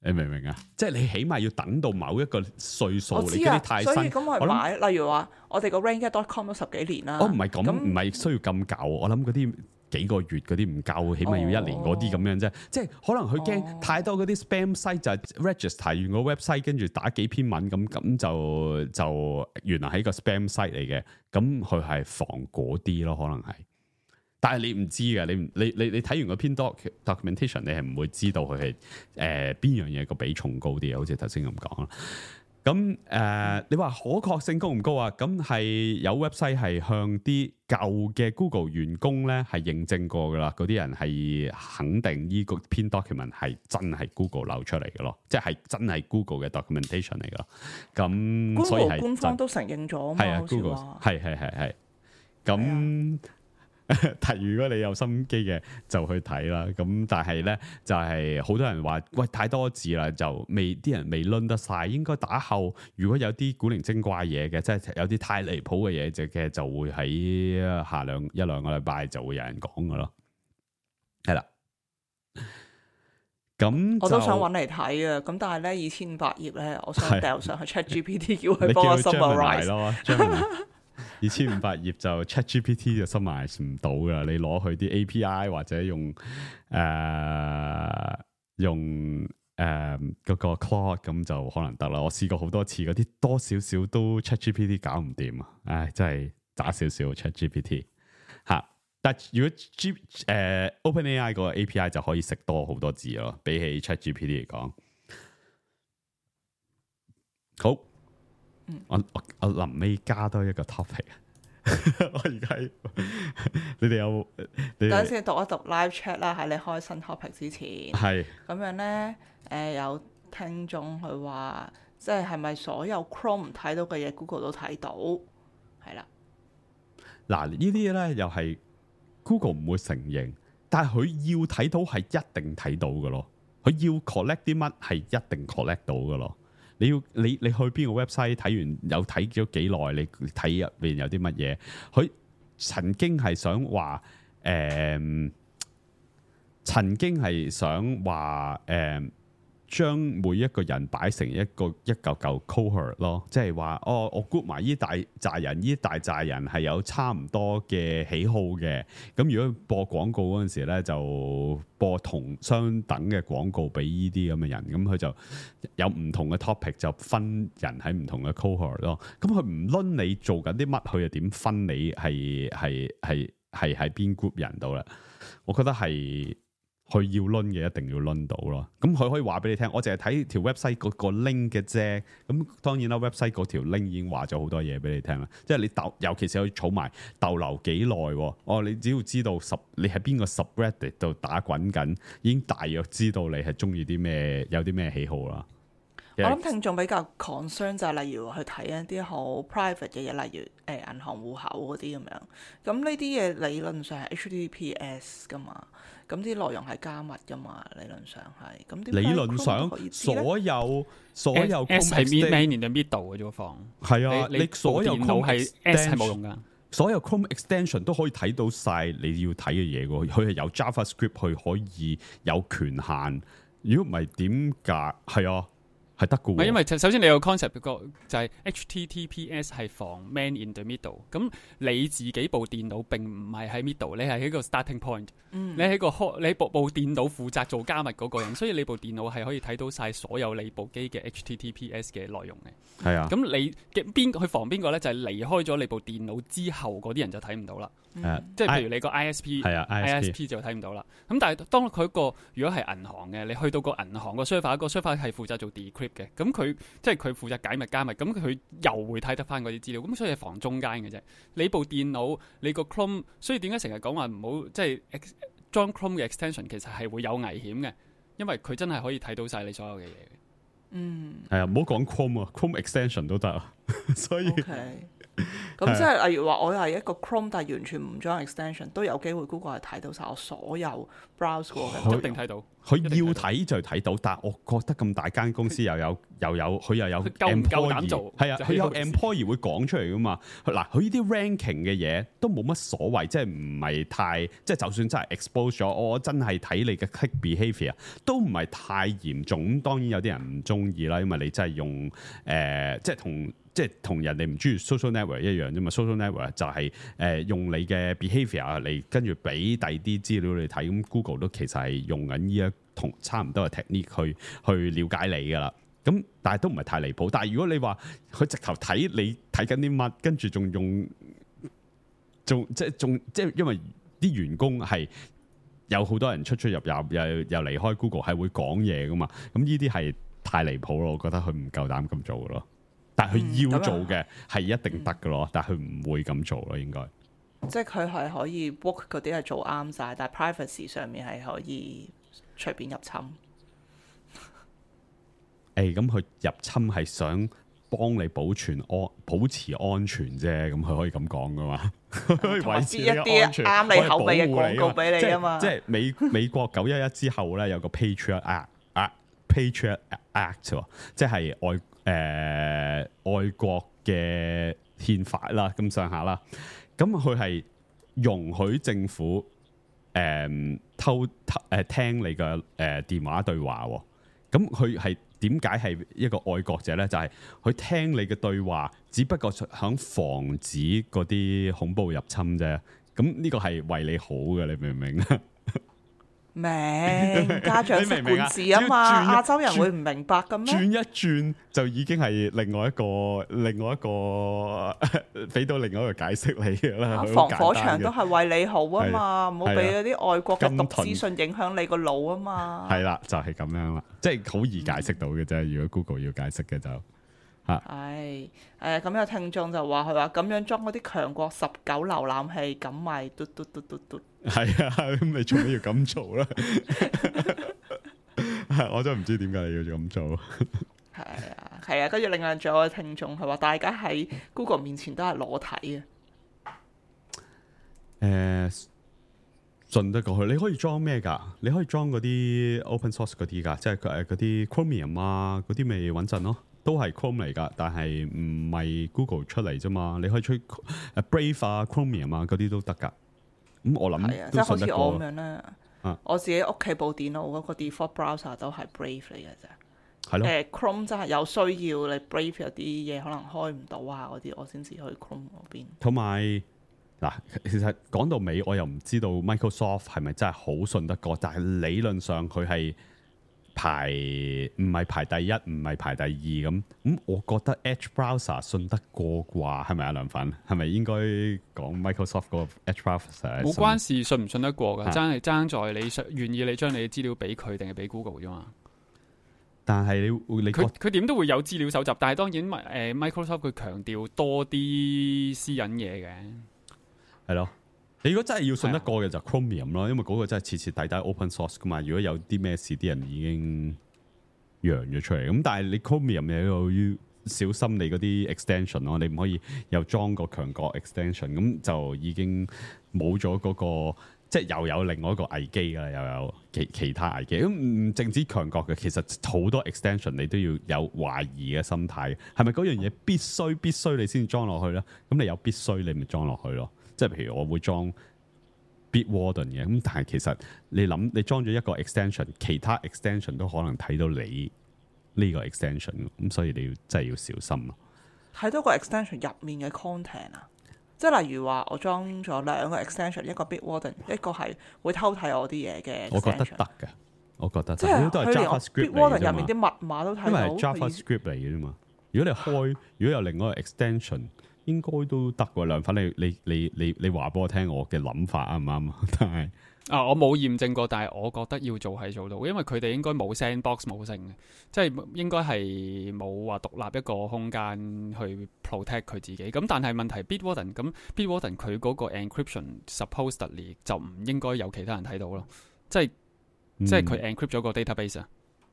你明唔明啊？即係你起碼要等到某一個歲數，你嗰啲太新。所以咁咪買，例如話我哋個 rank.com 都10幾年啦。唔係咁，唔係需要咁舊。我諗嗰啲幾個月嗰啲唔夠，起碼要1年嗰啲咁樣啫。即係可能佢驚太多嗰啲 spam site 就係 register 完個 website 跟住打幾篇文咁就原來係一個 spam site 嚟嘅。咁佢係防嗰啲咯，可能係。但係你唔知嘅，你睇完個篇 documentation， 你係唔會知道佢係邊樣嘢個比重高啲，好似頭先咁講啦。咁你話可確性高唔高啊？咁係有 website 係向啲舊嘅 Google 員工咧係認證過噶啦，嗰啲人係肯定呢個篇 document 係真係 Google 流出嚟嘅咯，即係真係 Google 嘅 documentation 嚟噶。咁所以係官方都承認咗嘛？係啊 ，Google 係咁。但如果你有心機嘅就去睇啦，咁但係咧就係好多人話喂太多字啦，就啲人未輪得晒，應該打後如果有啲古靈精怪嘢嘅，即係有啲太離譜嘅嘢就會喺下一兩個禮拜就會有人講噶咯，係啦。咁我都想揾嚟睇啊，咁但係咧2500頁咧，我想掉上去 ChatGPT 叫佢幫我 summarize 咯。2500頁就 ChatGPT 就 summarize 唔到噶，你攞佢啲 API 或者用嗰個 Claude 咁就可能得啦。我試過好多次，嗰啲多少少都 ChatGPT 搞唔掂啊！唉，真係渣少少 ChatGPT 吓。但係如果OpenAI 個 API 就可以食多好多字咯，比起 ChatGPT 嚟講。好，我臨尾加多一個 topic。我而家你哋有等陣先讀一讀 live chat 啦，喺你開新 topic 之前。係咁樣呢，有聽眾佢話，即係咪所有 Chrome 睇到嘅嘢 Google 都睇到？係啦。嗱，呢啲咧又係 Google 唔會承認，但係佢要睇到係一定睇到嘅咯。佢要 collect 啲乜係一定 collect 到嘅咯。你去邊個 website 睇完有睇咗幾耐？你睇入邊有啲乜嘢？佢曾經係想話將每一個人擺成一嚿嚿 cohort 咯，即係話我 group 埋呢大扎人，呢大扎人係有差唔多嘅喜好嘅。咁如果播廣告嗰陣時咧，就播同相等嘅廣告俾呢啲咁嘅人。咁佢就有唔同嘅 topic 就分人喺唔同嘅 cohort 咯。咁佢唔論你做緊啲乜，佢又點分你係喺邊 group 人度啦？我覺得係。佢要攆嘅一定要攆到咯，咁佢可以話俾你聽，我淨係睇條 website 嗰個 link 嘅啫。咁當然啦 ，website 嗰條 link 已經話咗好多嘢俾你聽啦。即係你尤其是可以儲埋逗留幾耐喎。你只要知道你喺邊個 subreddit 度打滾緊，已經大約知道你係中意啲咩，有啲咩喜好啦。我諗聽眾比較 concern 就係例如去睇一啲好 private 嘅嘢，例如銀行戶口嗰啲咁樣。咁呢啲嘢理論上係 HTTPS 噶嘛，咁啲內容係加密噶嘛，理論上係。咁點解理論上所有 S 係 man in the middle 嘅啫，放係啊，你所有 Chrome 係 S 係冇用噶。所有 Chrome extension 都可以睇到晒你要睇嘅嘢喎，佢係有 JavaScript 佢可以有權限。如果唔係點解？係啊。係得嘅喎，因為首先你有 concept 個就係 HTTPS 係防 man in the middle， 咁你自己部電腦並唔係喺 middle， 你係喺個 starting point，你喺你部電腦負責做加密嗰個人，所以你部電腦係可以睇到晒所有你部機嘅 HTTPS 嘅內容嘅。係啊，咁你嘅去防邊個咧？就係離開咗你部電腦之後嗰啲人就睇唔到啦。即係譬如你個 ISP 就睇唔到啦。咁但係當佢個如果係銀行嘅，你去到個銀行個 server 係負責做 decrypt 嘅，咁佢即係佢負責解密加密，咁佢又會睇得翻嗰啲資料，咁所以係防中間嘅啫。你部電腦你個 Chrome， 所以點解成日講話唔好即係裝 Chrome 嘅 extension， 其實係會有危險嘅，因為佢真係可以睇到晒你所有嘅嘢嘅。係啊，唔好講 Chrome 啊 ，Chrome extension 都得啊，所以。咁即係例如話，我係一個 Chrome， 但係完全唔裝 extension， 都有機會 Google 係睇到晒我所有 browse 過嘅，一定睇到。佢要睇就睇到，但係我覺得咁大間公司又有佢又有 employee， 係啊，佢有 employee 會講出嚟噶嘛。嗱，佢呢啲 ranking 嘅嘢都冇乜所謂，即係唔係太即係就算真係 expose 咗，我真係睇你嘅 click behaviour 都唔係太嚴重。咁當然有啲人唔中意啦，因為你真係用即係同人哋唔中意 social network 一樣啫嘛。social network 就係用你嘅 behaviour 嚟跟住俾第二啲資料你睇。咁 Google 都其實係用緊呢一同差唔多嘅 technique 去了解你噶啦。咁但係都唔係太離譜。但係如果你話佢直頭睇你睇緊啲乜，跟住仲用即係因為啲員工係有好多人出入又離開 Google 係會講嘢噶嘛。咁呢啲係太離譜咯。我覺得佢唔夠膽咁做咯。但係佢要做嘅係一定得嘅咯，但係佢唔會咁做咯，應該。即係佢係可以 book 嗰啲係做啱晒，但係 privacy 上面係可以隨便入侵。咁佢入侵係想幫你保持安全啫，咁佢可以咁講噶嘛？可以維持一啲啱你口味嘅廣告俾你啊嘛。即係美國911之後咧，有個 Patriot Act，即係外國嘅憲法啦，咁上下啦。咁佢係容許政府聽你嘅電話對話。咁佢係點解係一個愛國者咧？就係佢聽你嘅對話，只不過想防止嗰啲恐怖入侵啫。咁呢個係為你好嘅，你明唔明啊？家長識管治啊嘛，亞洲人會唔明白嘅咩？轉一轉就已經係另外一個俾到另外一個解釋你㗎啦。防火牆都係為你好啊嘛，唔好俾嗰啲外國嘅毒資訊影響你個腦啊嘛。係啦，就係咁樣啦，即係好易解釋到嘅啫。如果 Google 要解釋嘅就係咁有聽眾就話佢話咁樣裝嗰啲強國19瀏覽器，咁咪嘟。係啊，咁你做咩要咁做咧？我真係唔知點解你要咁做。係啊，跟住另外仲有個聽眾係話，大家喺 Google 面前都係裸體嘅。信得過去，你可以裝咩㗎？你可以裝嗰啲 open source 嗰啲㗎，即係嗰啲 Chromium 啊，嗰啲咪穩陣咯。都係 Chrome 嚟㗎，但係唔係 Google 出嚟啫嘛。你可以出Brave 啊、Chromium 啊嗰啲都得㗎。咁我諗即係好似我咁樣咧。我自己屋企部電腦嗰個 default browser 都係 Brave 嚟嘅啫。係咯。Chrome 真係有需要，你 Brave 有啲嘢可能開唔到啊嗰啲，我先至去 Chrome 嗰邊。同埋嗱，其實講到尾，我又唔知道 Microsoft 係咪真係好信得過，但係理論上佢係唔係排第一，唔係排第二咁。我覺得 Edge Browser 信得過啩，係咪啊？梁粉係咪應該講 Microsoft 個 Edge Browser？冇關事，信唔信得過㗎，爭係爭在你願意你將你嘅資料俾佢定係俾 Google 啫嘛。但係你佢點都會有資料搜集，但係當然Microsoft 佢強調多啲私隱嘢嘅，係咯。你如果真係要信得過嘅就 Chromium 咯，因為嗰個真係徹徹底底 open source 噶嘛。如果有啲咩事，啲人已經揚咗出嚟。咁但係你 Chromium 你又要小心你嗰啲 extension 咯，你唔可以又裝個強國 extension，咁就已經冇咗嗰個，即係又有另外一個危機㗎啦，又有其他危機。咁唔淨止強國嘅，其實好多 extension 你都要有懷疑嘅心態，係咪嗰樣嘢必須你先裝落去咧？咁你有必須你咪裝落去咯。即係譬如我會裝 Bitwarden 嘅，咁但係其實你諗你裝咗一個 extension， 其他 extension 都可能睇到你呢個 extension， 咁所以你真係要小心咯。睇到個 extension 入面嘅 content 啊，即係例如話我裝咗兩個 extension， 一個 Bitwarden， 一個係會偷睇我啲嘢嘅 extension。我覺得得嘅，我覺得即係都係 JavaScript Bitwarden 入面啲密碼都睇到，因為係 JavaScript 嚟嘅啫嘛。如果你開，如果有另外一個 extension。應該都得喎，梁粉你話俾我聽我嘅諗法啱唔啱？但係我冇驗證過，但係我覺得要做係做到，因為佢哋應該冇 sandbox 冇剩嘅，即係應該係冇話獨立一個空間去 protect 佢自己。咁但係問題 Bitwarden 佢嗰個 encryption supposedly 就唔應該有其他人睇到咯，即係佢 encrypt 咗個 database 啊。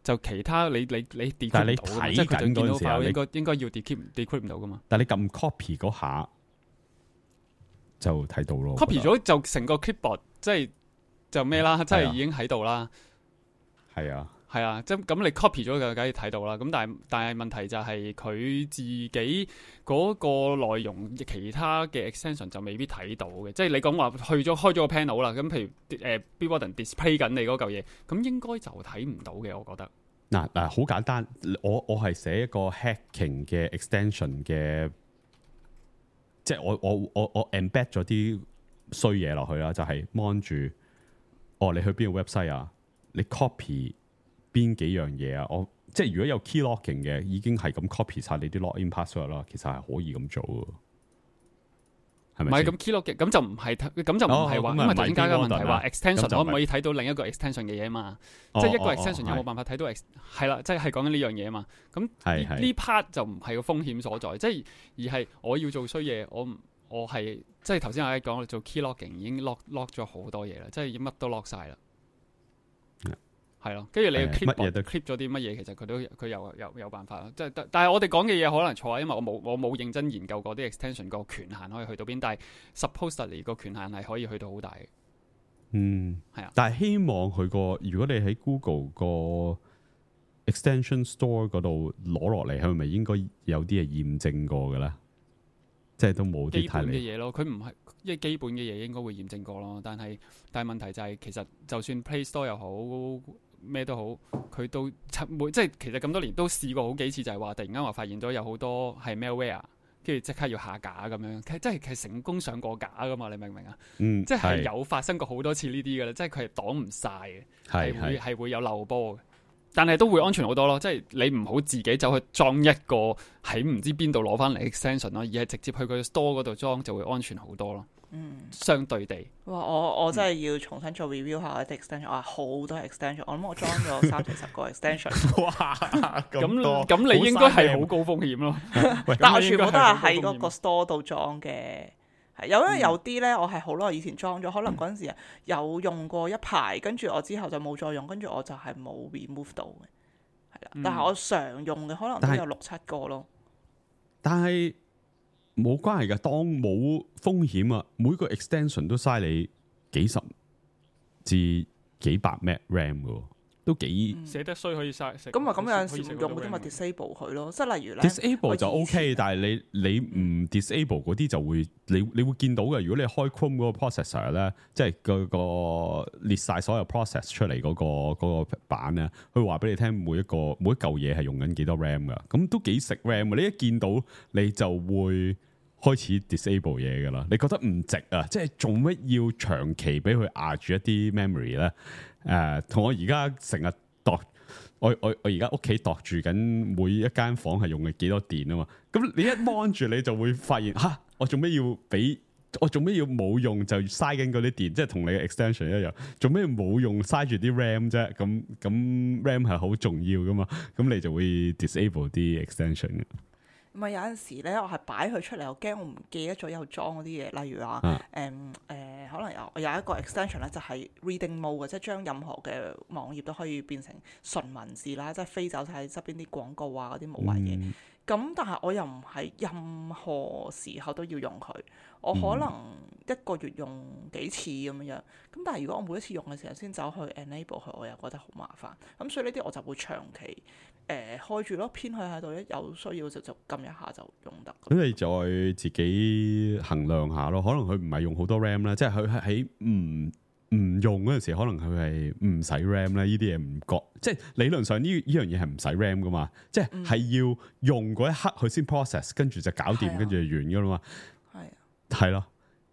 就其他你 decrypt 唔到，即係佢就見到塊應該要 decrypt 唔到噶嘛。但係你撳 copy 嗰下就睇到咯。copy 咗就成個 clipboard 即係就咩啦，即係已經喺度啦。係啊，係啊，即係咁你 copy 咗就梗係睇到啦。咁但係問題就係佢自己嗰個內容，其他嘅 extension 就未必睇到嘅。即係你講話開咗個 panel 啦，咁譬如Bitwarden display 緊你嗰嚿嘢，咁應該就睇唔到嘅。我覺得嗱好簡單，我係寫一個 hacking 嘅 extension 嘅，即係我 embed 咗啲衰嘢落去啦，就係 mon 住你去邊個 website 啊？你 copy 邊幾樣嘢啊？即係如果有 key locking 嘅，已經係咁 copy 晒你啲 login password 啦。其實係可以咁做嘅，係咪？唔係咁 key locking 咁就唔係話，因為點解嘅問題話 extension 可唔可以睇到另一個 extension 嘅嘢嘛？即係一個 extension 有冇辦法睇到係啦，即係講緊呢樣嘢嘛。咁呢 part 就唔係個風險所在，即係而係我要做衰嘢，我係即係頭先我講做 key locking 已經 lock 咗好多嘢啦，即係已經乜都 lock 晒啦。係咯，跟住你 clip 咗啲乜嘢，其實佢有辦法咯。即係但係我哋講嘅嘢可能錯啊，因為我冇認真研究過啲 extension 個權限可以去到邊，但係 supposedly 個權限係可以去到好大嘅。係啊。但係希望佢如果你喺 Google 個 extension store 嗰度攞落嚟，係咪應該有啲係驗證過嘅咧？即係都冇啲太基本嘅嘢咯，佢唔係因為基本嘅嘢應該會驗證過咯。但係問題就係其實就算 Play Store 又好。咩都好，佢即係其實咁多年都試過好幾次，就係話突然間話發現咗有好多係 malware，跟住即刻要下架咁樣，即係成功上過架噶嘛？你明唔明啊？嗯，即係有發生過好多次呢啲嘅啦，即係佢係擋唔晒嘅，係會有漏波嘅。但係都會安全好多咯，即係你唔好自己走去裝一個喺唔知邊度攞翻嚟 extension 咯，而係直接去佢 store 嗰度裝就會安全好多咯。相對地，哇！我真係要重新做 review 下啲 extension，我好多 extension，我諗我裝咗30-40個 extension。哇！咁你應該係好高風險咯。但我全部都係喺嗰個 store 度裝嘅。係因為有啲咧，我係好耐以前裝咗，可能嗰陣時有用過一排，跟住我之後就冇再用，跟住我就係冇 remove 到嘅，係啦。但係我常用嘅可能都有6-7個咯。但係冇關係㗎，當冇風險啊，每個 extension 都嘥你幾十至幾百 meg RAM 㗎喎。都幾寫得衰可以嘥，咁有陣時唔用嗰啲咪 disable 佢咯，即係例如咧 disable 就 OK，但係你唔 disable 嗰啲就會你會見到嘅。如果你開 Chrome 嗰個 processor 咧，即係個列晒所有 process 出嚟嗰個版咧，佢話俾你聽每一嚿嘢係用緊幾多 RAM 噶，咁都幾食 RAM。你一見到你就會開始 disable 嘢噶啦，你覺得唔值啊？即係做乜要長期俾佢壓住一啲 memory 咧？同我而家成日度，我而家屋企度住緊每一間房係用嘅幾多電啊嘛？咁你一 mon 住你就會發現吓，我做咩要冇用就嘥緊嗰啲電？即係同你嘅 extension 一樣，做咩冇用嘥住啲 RAM 啫？咁 RAM 係好重要噶嘛？咁你就會 disable 啲 extension 嘅。唔係有陣時咧，我係擺佢出嚟，我驚我唔記得咗有裝嗰啲嘢，例如話可能有一個 extension 咧，就係 reading mode 嘅，即係將任何嘅網頁都可以變成純文字啦，即係飛走晒側邊啲廣告啊嗰啲無謂嘢。咁但係我又唔係任何時候都要用佢，我可能一個月用幾次咁樣。咁但係如果我每一次用嘅時候先走去 enable 佢，我又覺得好麻煩。咁所以呢啲我就會長期開住咯，偏佢喺度，一有需要就撳一下就用得。咁你再自己衡量下咯，可能佢唔係用好多 RAM 啦，即係佢喺唔用嗰陣時，可能佢係唔使 RAM 咧。呢啲嘢唔覺，即係理論上呢樣嘢係唔使 RAM 噶嘛，即係要用嗰一刻佢先 process，跟住就搞掂，跟住就完噶啦嘛。係咯，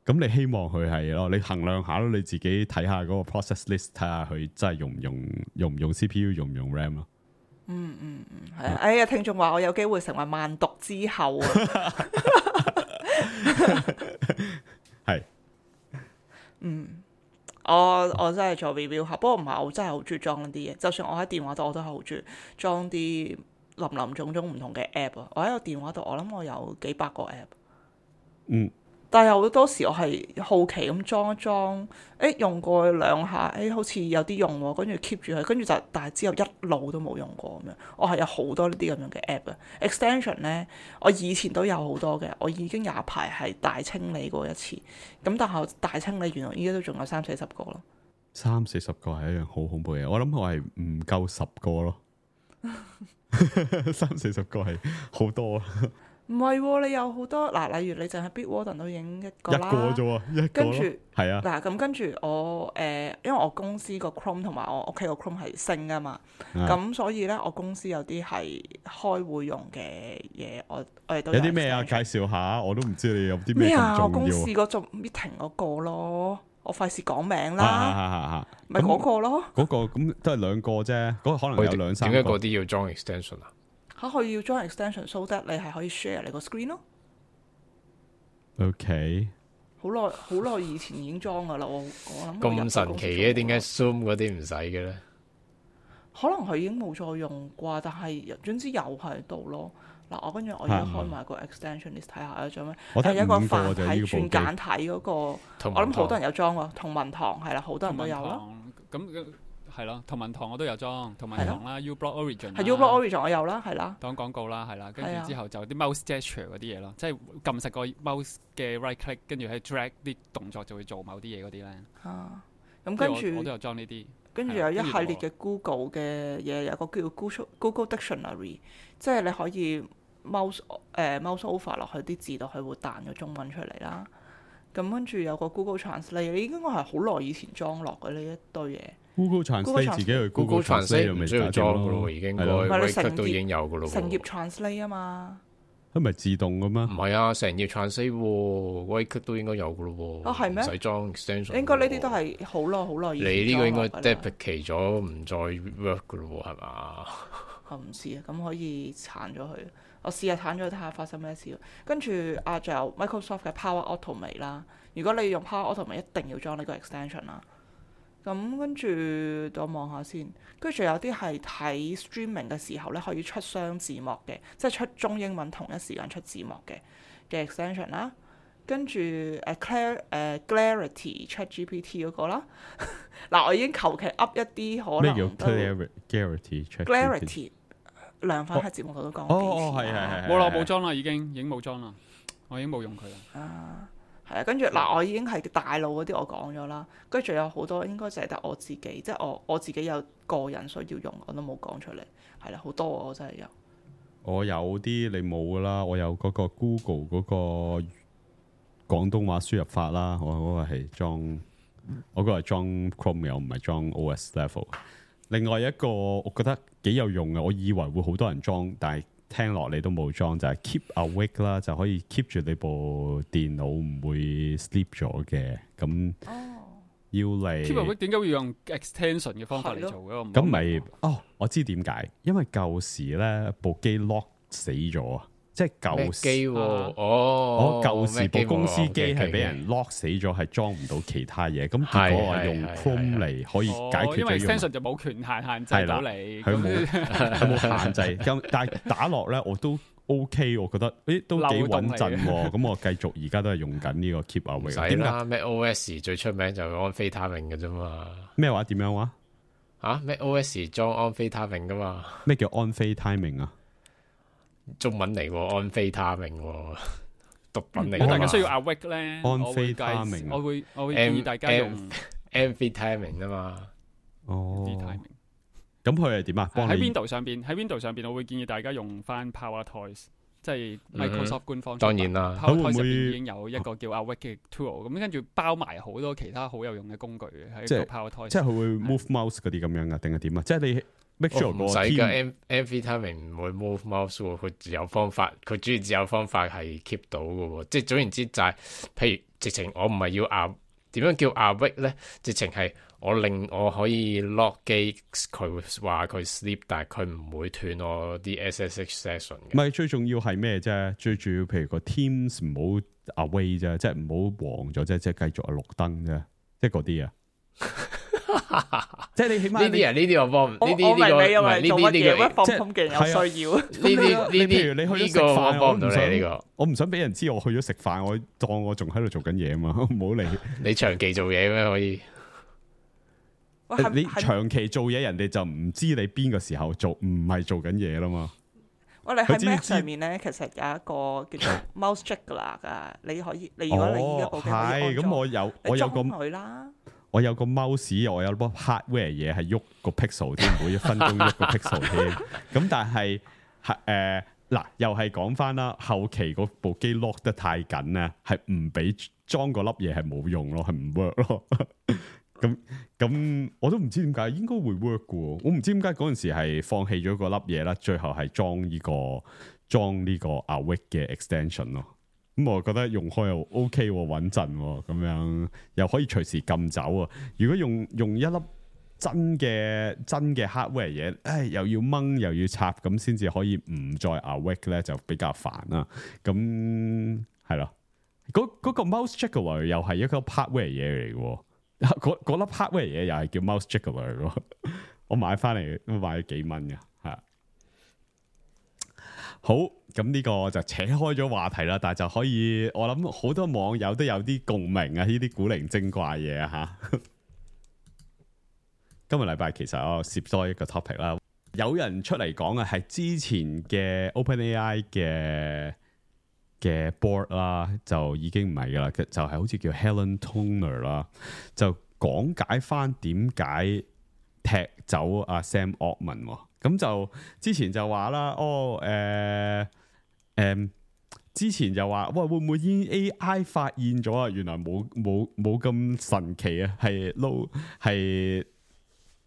咁你希望佢係咯，你衡量下咯，你自己睇下嗰個 process list，睇下佢真係用唔用 CPU， 用唔用 RAM 咯。係啊！哎呀，聽眾話我有機會成為萬毒之後啊！係，我真係做 review 下，不過唔係我真係好中意裝啲嘢。就算我喺電話度，我都係好中意裝啲林林種種唔同嘅 app 啊！我喺個電話度，我諗我有幾百個 app。但係好多時我係好奇咁裝一裝，用過2下，好似有啲用喎，跟住 keep 住佢，跟住就但係之後一路都冇用過咁樣。我係有好多呢啲咁樣嘅 app 嘅 extension 咧，我以前都有好多嘅，我已經有一排係大清理過一次。咁但係大清理原來依家都仲有30-40個咯。30-40個係一樣好恐怖嘅嘢，我諗我係唔夠10個咯。30-40個係好多啊！唔係喎，你有好多嗱，例如你淨係 Bitwarden 都影一個啦，一個啫喎，跟住係啊，嗱咁跟住我因為我公司個 Chrome 同埋我屋企個 Chrome 係升噶嘛，咁所以咧我公司有啲係開會用嘅嘢，我哋都有啲咩啊？介紹下，我都唔知你有啲咩咁重要。我公司嗰種 meeting 嗰個咯，我費事講名啦，咪嗰個咯，嗰個咁都係2個啫，嗰個可能有2-3個。點解嗰啲要裝 extension 啊？佢要裝 extension so that 你係可以 share 你個 screen 咯。OK， 好耐以前已經裝噶啦，我諗咁神奇嘅，點解 Zoom 嗰啲唔使嘅咧？可能佢已經冇再用啩，但係總之有喺度咯。嗱，我跟住我而家開埋個 extension list 睇下有咗咩？係一個繁體轉簡體嗰個，我諗好多人有裝喎。同文堂係啦，好多人都有啦。咁係咯，同文堂我都有裝，同文堂啦 uBlock Origin 係 uBlock Origin 我有啦，係啦。當廣告啦，係啦，跟住之後就啲 mouse gesture 嗰啲嘢咯，即係撳實個 mouse 嘅 right click，跟住喺 drag 啲動作就會做某啲嘢嗰啲咧。咁跟住我都有裝呢啲。跟住有一系列嘅 Google 嘅嘢，有個叫 Google Dictionary， 即係你可以 mouse over 落去啲字度，佢會彈個中文出嚟啦。咁跟住有個 Google Translate， 你應該係好耐以前裝落嘅呢一堆嘢。Google Translate 自己去 Google Translate 唔需要裝嘅咯，已經個 Word 都已經有嘅咯。成頁 Translate 啊嘛，佢咪自動嘅咩？唔係啊，成頁 translate 喎 ，right click 都應該有嘅咯喎。係咩？唔使裝 extension。應該呢啲都係好耐以前。你呢個應該 deprecate 咗，唔再 work 嘅咯喎，係嘛？我唔知啊，咁可以鏟咗佢。我試下鏟咗睇下發生咩事。跟住仲有 Microsoft 嘅 Power Automate 啦。如果你用 Power Automate，一定要裝呢個 extension 啦。咁跟住我望下先，跟住仲有啲係睇 streaming 嘅時候咧，可以出雙字幕嘅，即係出中英文同一時間出字幕嘅 extension 啦。跟住Clarity ChatGPT 嗰個啦。嗱，我已經求其噏一啲可能。咩叫 Clarity？ 量販喺節目度都講過幾次。係。冇啦，冇裝啦，已經冇裝啦，我已經冇用佢啦。係啊，跟住嗱，我已經係大陸嗰啲我講咗啦，跟住仲有好多應該就係得我自己，即係我自己有個人需要用，我都冇講出嚟。係啦，好多我真係有。我有啲你冇噶啦，我有嗰個 Google 嗰個廣東話輸入法啦，我嗰個係裝，我嗰個係裝 Chrome 嘅，我唔係裝 OS Level。另外一個我覺得幾有用嘅，我以為會好多人裝，但係聽落你都冇裝，就係 Keep Awake 啦，就可以 keep 住你部電腦唔會 sleep 咗嘅。咁要嚟 Keep Awake 點解會用 extension 嘅方法嚟做嘅？咁咪我知點解，因為舊時咧部機 lock 死咗啊！即係舊機我舊時部公司機係俾人 lock 死咗，係裝唔到其他嘢。咁結果我用 Chrome 嚟可以解決咗。因為 extension 就冇權限制到你，佢冇限制。咁但係打落咧我都 OK， 我覺得都幾穩陣。咁我繼續而家都係用緊呢個 Keep Awake。唔使啦，Mac OS 最出名就係安非他命嘅啫嘛。咩話？點樣話？Mac OS 裝安非他命噶嘛？咩叫安非他命啊？中文嚟喎，安非他命喎，毒品嚟。如果大家需要 awake 咧，安非他命，我會建議大家用 amphetamine 啊嘛。咁佢係點啊？喺 Windows 上邊，我會建議大家用翻 PowerToys，即係 Microsoft 官方。當然啦 ，PowerToys 入邊已經有一個叫 awake 嘅 tool，咁跟住包埋好多其他好有用嘅工具嘅喺個 PowerToys。即係佢會 move mouse 嗰啲咁樣噶，定係點啊？即係你。唔使㗎 amphetamine 唔會 move mouse 喎，佢自有方法，佢主要自有方法係 keep 到嘅喎。即係總言之就係、是，譬如直情我唔係要點樣叫 awake 咧？直情係我可以 lock 機，佢話佢 sleep，但係佢唔會斷我啲 SSH session 嘅。唔係最重要係咩啫？最重要譬如個 Teams 唔好 away 啫，即係唔好黃咗啫，即係繼續綠燈啫，即係嗰啲啊。即係你起碼呢啲我幫，呢啲呢個放空嘅有需要。呢譬如你去咗食飯，幫唔到你呢個，我唔想俾人知我去咗食飯，我當我仲喺度做緊嘢啊嘛，唔好理。你長期做嘢咩可以？你長期做嘢，人哋就唔知你邊個時候做，唔係做緊嘢啦嘛。我哋喺 Mac 上面咧，其實有一個叫做 Mouse Juggler 噶，你可以，如果你依家部機可以安裝，我有個佢啦。我有個 mouse， 我有部 hardware 嘢係喐個 pixel 添，每一分鐘喐個 pixel 添。咁但係嗱，又係講翻啦，後期嗰部機 lock 得太緊咧，係唔俾裝嗰粒嘢係冇用咯，係唔 work 咯。咁我都唔知點解，應該會 work 嘅。我唔知點解嗰陣時係放棄咗嗰粒嘢啦，最後係裝呢個 Awake 嘅 extension 咯。咁我覺得用開又 OK 穩陣咁樣，又可以隨時撳走啊！如果用一粒真嘅 hardware 嘢，又要掹又要插，咁先至可以唔再 awake 咧，就比較煩啦。咁係咯，嗰個 mouse juggler 又係一個 hardware 嘢嚟嘅，嗰粒 hardware 嘢又係叫 mouse juggler 嚟嘅。我買翻嚟都買咗幾蚊嘅，係。好，咁呢個就扯開咗話題啦，但係就可以，我諗好多網友都有啲共鳴啊，呢啲古靈精怪嘢啊吓。今個禮拜其實我攝多一個 topic 啦，有人出嚟講啊，係之前嘅 OpenAI 嘅 board 啦，就已經唔係噶啦，就係好似叫 Helen Toner 啦，就講解翻點解踢走阿 Sam Altman。咁就之前就話啦，之前就話，喂，會唔會已經 AI 發現咗啊？原來冇咁神奇啊，係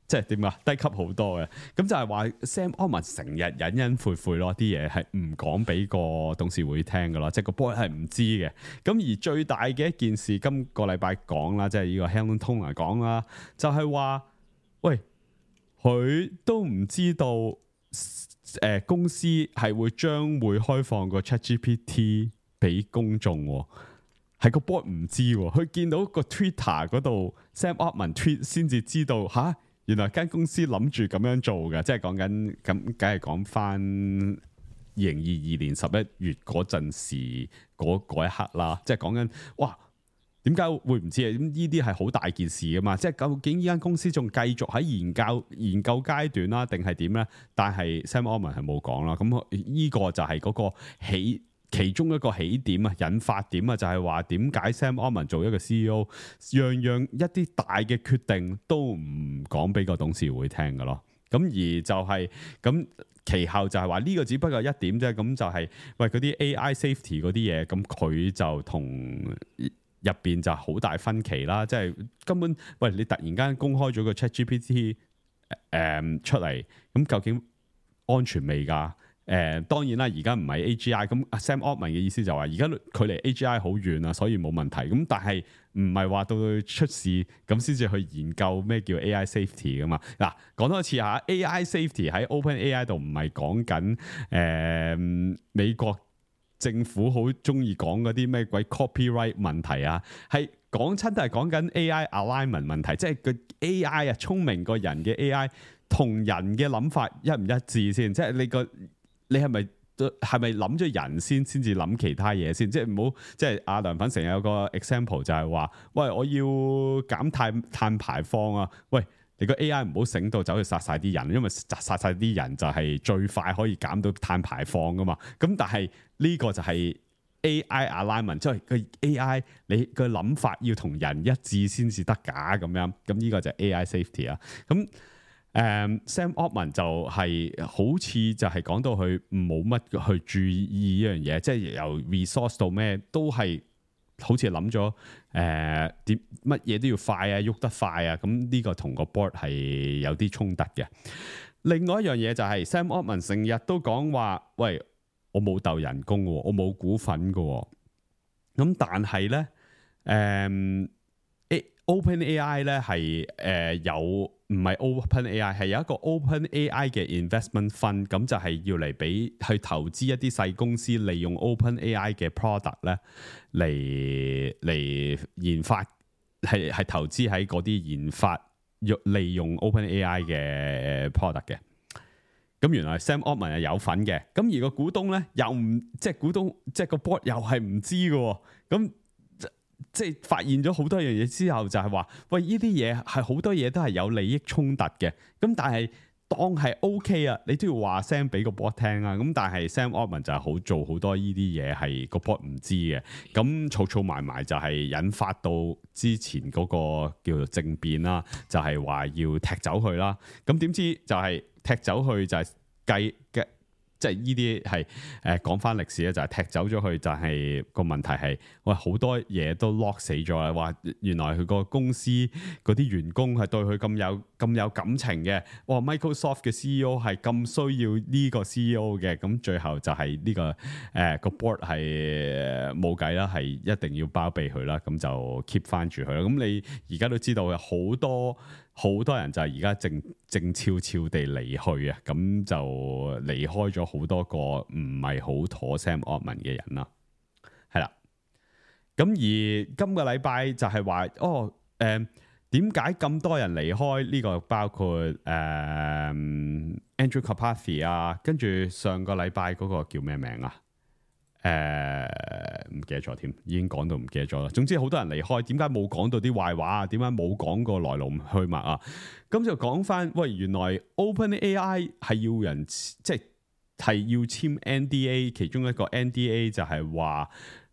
即係點啊？低級好多嘅，咁就係話 Sam Altman 成日隱隱晦晦咯，啲嘢係唔講俾個董事會聽噶咯，即係個 board 係唔知嘅。咁而最大嘅一件事，今個禮拜講啦，即係呢個 Helen Toner 講啦，就係話，喂，佢都唔知道，公司係將會開放個 ChatGPT 俾公眾，係個 board 唔知，佢見到個 Twitter 嗰度 Sam Altman tweet 先至知道吓。原來間公司諗住咁樣做嘅，即係講緊咁，梗係講翻2022年11月嗰陣時嗰一刻啦。即係講緊，哇，點解會唔知啊？咁呢啲係好大件事噶嘛。即係究竟呢間公司仲繼續喺研究階段啦，定係點咧？但係 Sam Altman 係冇講啦。咁呢個就係嗰個其中一個起點啊，引發點啊，就係話點解 Sam Altman 做一個 CEO，樣一啲大嘅決定都唔講俾個董事會聽㗎咯。咁而就係咁，其後就係話呢個只不過一點啫。咁就係喂嗰啲 AI safety 嗰啲嘢，咁佢就同入邊就好大分歧啦。即係根本喂你突然間公開咗個 ChatGPT 出嚟，咁究竟安全未㗎？當然啦，而家唔係 AGI，咁 Sam Altman 嘅意思就話，而家距離 AGI 好遠啊，所以冇問題。咁但係唔係話到佢出事咁先至去研究咩叫 AI safety 噶嘛？嗱，講多次嚇 AI safety 喺 OpenAI 度唔係講緊美國政府好中意講嗰啲咩鬼 copyright 問題啊，係講親都係講緊 AI alignment 問題，即係個 AI 啊聰明個人嘅 AI 同人嘅諗法一唔一致先，即係你係咪諗咗人先至諗其他嘢先？即係唔好，即係阿梁粉成日有個 example 就係話，喂，我要減碳排放啊！喂，你個 AI 唔好醒到走去殺晒啲人，因為殺晒啲人就係最快可以減到碳排放噶嘛。咁但係呢個就係 AI alignment，即係個 AI 你個諗法要同人一致先至得㗎咁樣。咁呢個就係 AI safety 啊。咁Sam Altman 就係好似就係講到佢冇乜去注意呢樣嘢，即係由 resource 到咩都係好似諗咗點乜嘢都要快啊，喐得快啊，咁呢個同個 board 係有啲衝突嘅。另外一樣嘢就係 Sam Altman 成日都講話，喂，我冇鬥人工嘅，我冇股份嘅，咁但係咧OpenAI 咧係有。唔係 OpenAI 係有一個 OpenAI 嘅 investment fund，咁就係要嚟俾去投資一啲細公司，利用 OpenAI 嘅 product 咧嚟研發，係投資喺嗰啲研發利用 OpenAI 嘅 product 嘅。咁原來 Sam Altman 係有份嘅，咁而個股東咧又唔即係股東即係個 board 又係唔知嘅，咁。即係發現咗好多樣嘢之後，就係話，喂，呢啲嘢係好多嘢都係有利益衝突嘅。咁但係當係 OK 啊，你都要話聲俾個 board 聽啊。咁但係 Sam Altman 就係做好多呢啲嘢係個 board 唔知嘅。咁儲埋就係引發到之前嗰個叫做政變啦，就係話要踢走佢啦。咁點知就係踢走佢就係計嘅。即係呢啲係講翻歷史咧，就係踢走咗佢，就係個問題係，喂，好多嘢都 lock 死咗啦。話原來佢個公司嗰啲員工係對佢咁有感情嘅。哇 Microsoft 嘅 CEO 係咁需要呢個 CEO 嘅，咁最後就係呢個個 board 係冇計啦，係一定要包庇佢啦，咁就 keep 翻住佢啦。咁你而家都知道有好多人就係而家靜悄悄地離去啊，咁就離開咗好多個唔係好妥 Sam Altman 嘅人啦，係啦。咁而今個禮拜就係話，點解咁多人離開？呢個包括Andrew Karpathy 啊，跟住上個禮拜嗰個叫咩名啊？唔記得咗添，已經講到唔記得咗啦。總之好多人離開，點解冇講到啲壞話啊？點解冇講過來龍去脈啊？咁就講翻，喂，原來 OpenAI 係要人即係要簽 NDA，其中一個 NDA 就係話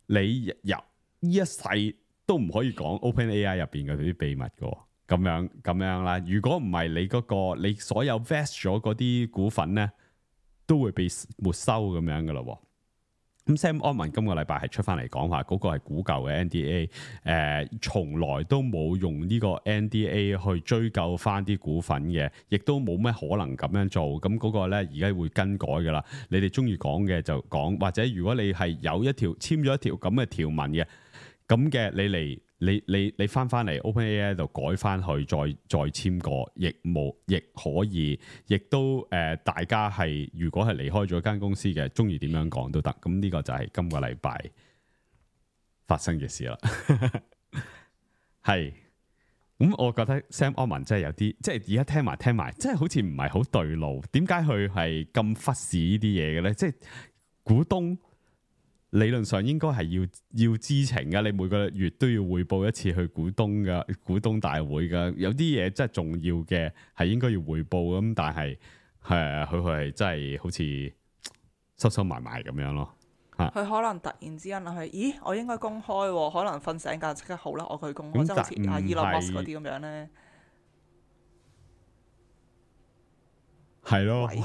你入呢一世都唔可以講 OpenAI 入邊嘅啲秘密嘅，咁樣啦。如果唔係你你所有 vest 咗嗰啲股份咧，都會被沒收咁樣噶啦。咁 Sam Altman 今個禮拜係出翻嚟講話，嗰個係古舊嘅 NDA，從來都冇用呢個 NDA 去追究翻啲股份嘅，亦都冇咩可能咁樣做。咁嗰個咧而家會更改噶啦。你哋中意講嘅就講，或者如果你係有一條簽咗一條咁嘅條文嘅，咁嘅你嚟。你翻嚟 OpenAI 度改翻去，再簽過，亦可以，亦都大家係如果係離開咗間公司嘅，中意點樣講都得。咁呢個就係今個禮拜發生嘅事啦。係，咁我覺得 Sam Altman 真係有啲，即係而家聽埋，真係好似唔係好對路。點解佢係咁忽視呢啲嘢嘅咧？即係股東。理論上應該係要知情嘅，你每個月都要匯報一次去股東大會嘅。有啲嘢真係重要嘅，係應該要匯報咁，但係佢係真係好似收埋咁樣咯。佢可能突然之間諗起，咦，我應該公開喎，可能瞓醒覺即刻好啦，我去公開，即係好似阿 Elon Musk 嗰啲咁樣咧。係咯，你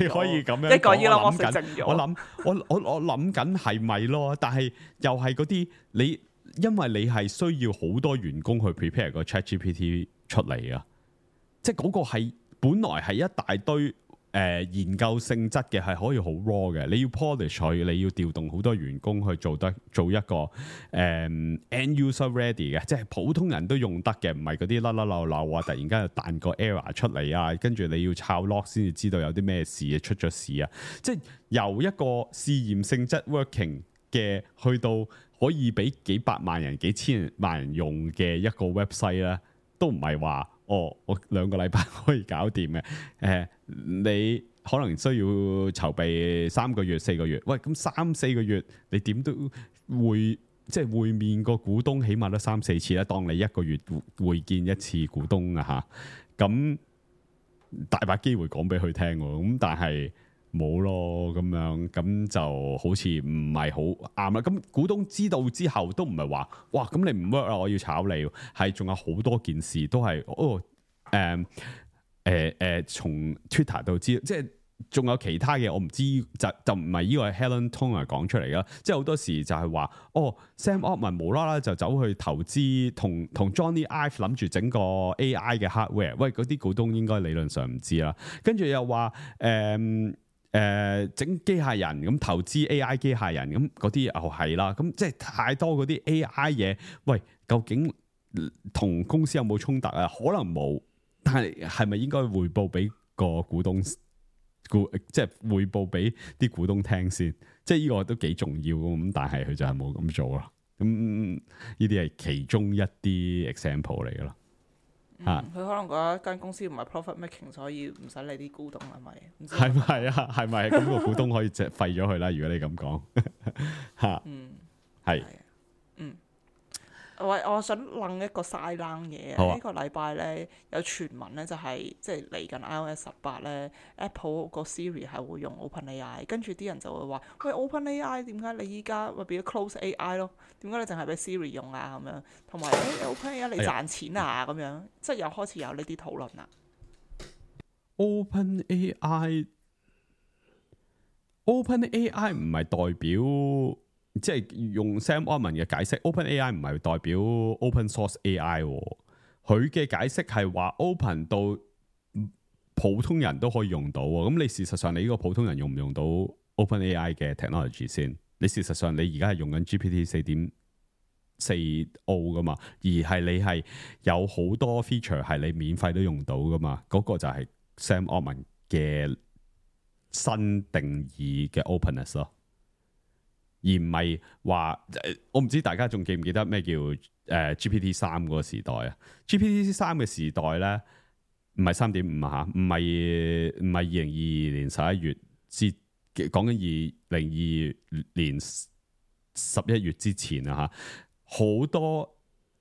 可以咁樣一個 Elon Musk 靜咗。我諗緊係咪咯？但係又係嗰啲你，因為你係需要好多員工去 prepare 個 ChatGPT 出嚟啊！即係嗰個係本來係一大堆研究性質嘅，係可以好 raw 嘅。你要 polish 佢，你要調動好多員工去做一個end user ready 嘅，即係普通人都用得嘅，唔係嗰啲甩甩漏漏啊！突然間又彈個 error 出嚟啊，跟住你要抄 log 先至知道有啲咩事出咗事啊！即係由一個試驗性質 working 嘅，去到可以俾幾百萬人、幾千萬人用嘅一個 website 咧，都唔係話我2個禮拜可以搞掂嘅。你可能需要籌備3個月、4個月。喂，咁3-4個月，你點都會即係會面個股東，起碼都3-4次啦。當你1個月會見一次股東啊嚇，咁大把機會講俾佢聽喎。咁但係冇咯，咁樣咁就好似唔係好啱啦。咁股東知道之後都唔係話哇，咁你唔 work 啦，我要炒你。係仲有好多件事都係從 Twitter 度知，即係仲有其他嘅，我唔知就唔係呢個係 Helen Toner 講出嚟啦。即係好多時就係話Sam Altman 無啦啦就走去投資，同 Johnny Ive 諗住整個 AI 嘅 hardware。喂，嗰啲股東應該理論上唔知啦。跟住又話整機械人咁投資 AI 機械人咁嗰啲又係啦。咁即係太多嗰啲 AI 嘢。喂，究竟同公司有冇衝突啊？可能冇。但係咪應該匯報俾個股東，即係匯報俾啲股東聽先？即係呢個都幾重要咁，但係佢就係冇咁做啦。咁呢啲係其中一啲 example 嚟噶啦。佢可能覺得間公司唔係 profit making， 所以唔使理啲股東係咪？係咪啊？係咪咁個股東可以即係廢咗佢啦？如果你咁講嚇，係。我想諗一個 side line 嘢啊！呢個禮拜咧有傳聞咧，就係即係嚟緊 iOS 18咧 ，Apple 個 Siri 係會用 OpenAI， 跟住啲人就會話：喂 ，OpenAI 點解你依家咪變咗 Close AI 咯？點解你淨係俾 Siri 用啊？咁樣同埋 OpenAI 你賺錢啊？咁樣即係又開始有呢啲討論啦。OpenAI 唔係代表。即係用 Sam Altman 嘅解釋 ，OpenAI 唔係代表 Open Source AI，佢嘅解釋係話 Open 到普通人都可以用到。咁你事實上你呢個普通人用唔用到 OpenAI 嘅 technology 先？你事實上你而家係用緊 GPT 4.40噶嘛？而係你係有好多 feature 係你免費都用到噶嘛？嗰個就係 Sam Altman 嘅新定義嘅 openness 咯。而唔係話，我唔知大家仲記唔記得咩叫GPT 3嗰個時代啊 ？GPT 3嘅時代咧，唔係3.5啊嚇，唔係2022年11月至講緊2022年11月之前啊嚇，好多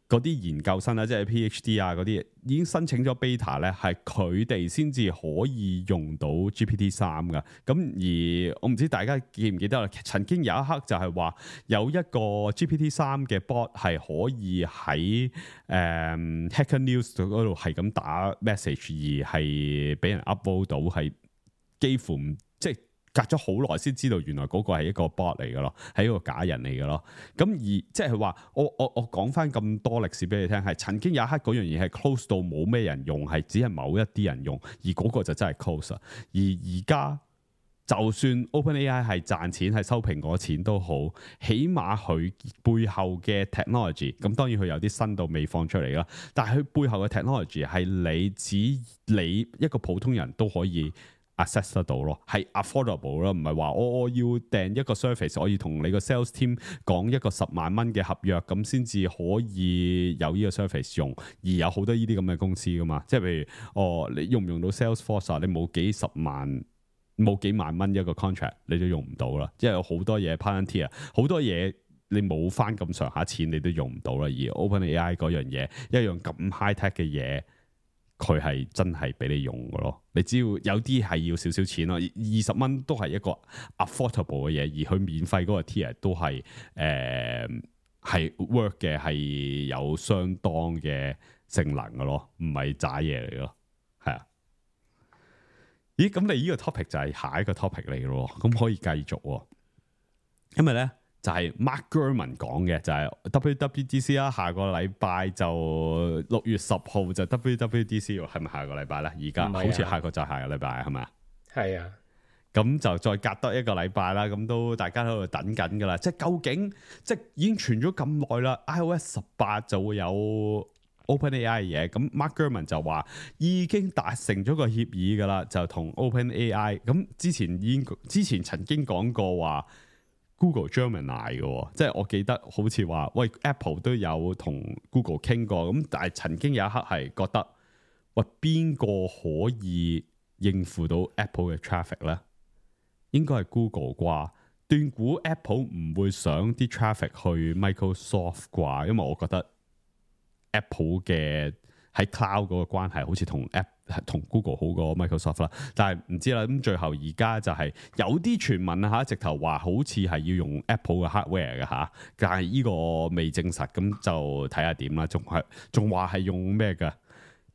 嗰啲研究生咧，即係 PhD 啊嗰啲，已經申請咗 beta 咧，係佢哋先至可以用到 GPT 3噶。咁而我唔知大家記唔記得啦，曾經有一刻就係話有一個 GPT 3嘅 bot 係可以喺Hacker News 嗰度係咁打 message，而係俾人 upload 到，係幾乎即係隔咗好耐先知道原來嗰個係一個 bot 嚟嘅咯，係一個假人嚟嘅咯。咁而即係話我講翻咁多歷史俾你聽，係曾經有一刻嗰樣嘢係 close 到冇咩人用，係只係某一啲人用，而嗰個就真係 close。而家就算 OpenAI 係賺錢係收蘋果錢都好，起碼佢背後嘅 technology， 咁當然佢有啲新到未放出嚟啦，但係佢背後嘅 technology 係你一個普通人都可以 access 得到咯，係 affordable 咯，唔係話我要訂一個 service， 我要同你個 sales team 講一個10萬蚊嘅合約咁先至可以有呢個 service 用，而有好多呢啲咁嘅公司噶嘛，即係譬如你用唔用到 Salesforce 啊？你冇幾萬蚊一個 contract 你都用唔到啦，即係有好多嘢 Palantir 好多嘢你冇翻咁上下錢你都用唔到啦，而 OpenAI 嗰樣嘢一樣咁 high tech 嘅嘢，佢係真係俾你用嘅咯。你只要有啲係要少少錢咯，20蚊都係一個 affordable 嘅嘢，而佢免費嗰個 tier 都係係 work 嘅，係有相當嘅性能嘅咯，唔係渣嘢嚟咯，係啊。咦，咁你呢個 topic 就係下一個 topic 嚟咯，咁可以繼續，因為咧就係 Mark Gurman 講嘅，就係 WWDC 啦，下個禮拜就6月10號就 WWDC 係咪下個禮拜咧？而家好似下個就下個禮拜係咪啊？係啊，咁就再隔多一個禮拜啦，咁都大家喺度等緊噶啦，即係究竟即係已經傳咗咁耐啦 ，iOS 18就會有 OpenAI 嘅嘢，咁 Mark Gurman 就話已經達成咗個協議噶啦，就同 OpenAI， 咁之前曾經講過話 Google Gemini 嘅，即係我記得好似話喂 Apple 都有同 Google 傾過，咁但係曾經有一刻係覺得喂邊個可以應付到 Apple 嘅 traffic 咧？應該係 Google 啩，斷估 Apple 唔會想啲 traffic 去 Microsoft 啩，因為我覺得 Apple 嘅喺 cloud 嗰個關係好似同 Google 好過 Microsoft 啦，但係唔知啦。咁最後而家就係有啲傳聞啊嚇，直頭話好似係要用 Apple 嘅 hardware 嘅嚇，但係呢個未證實，咁就睇下點啦。仲話係用咩嘅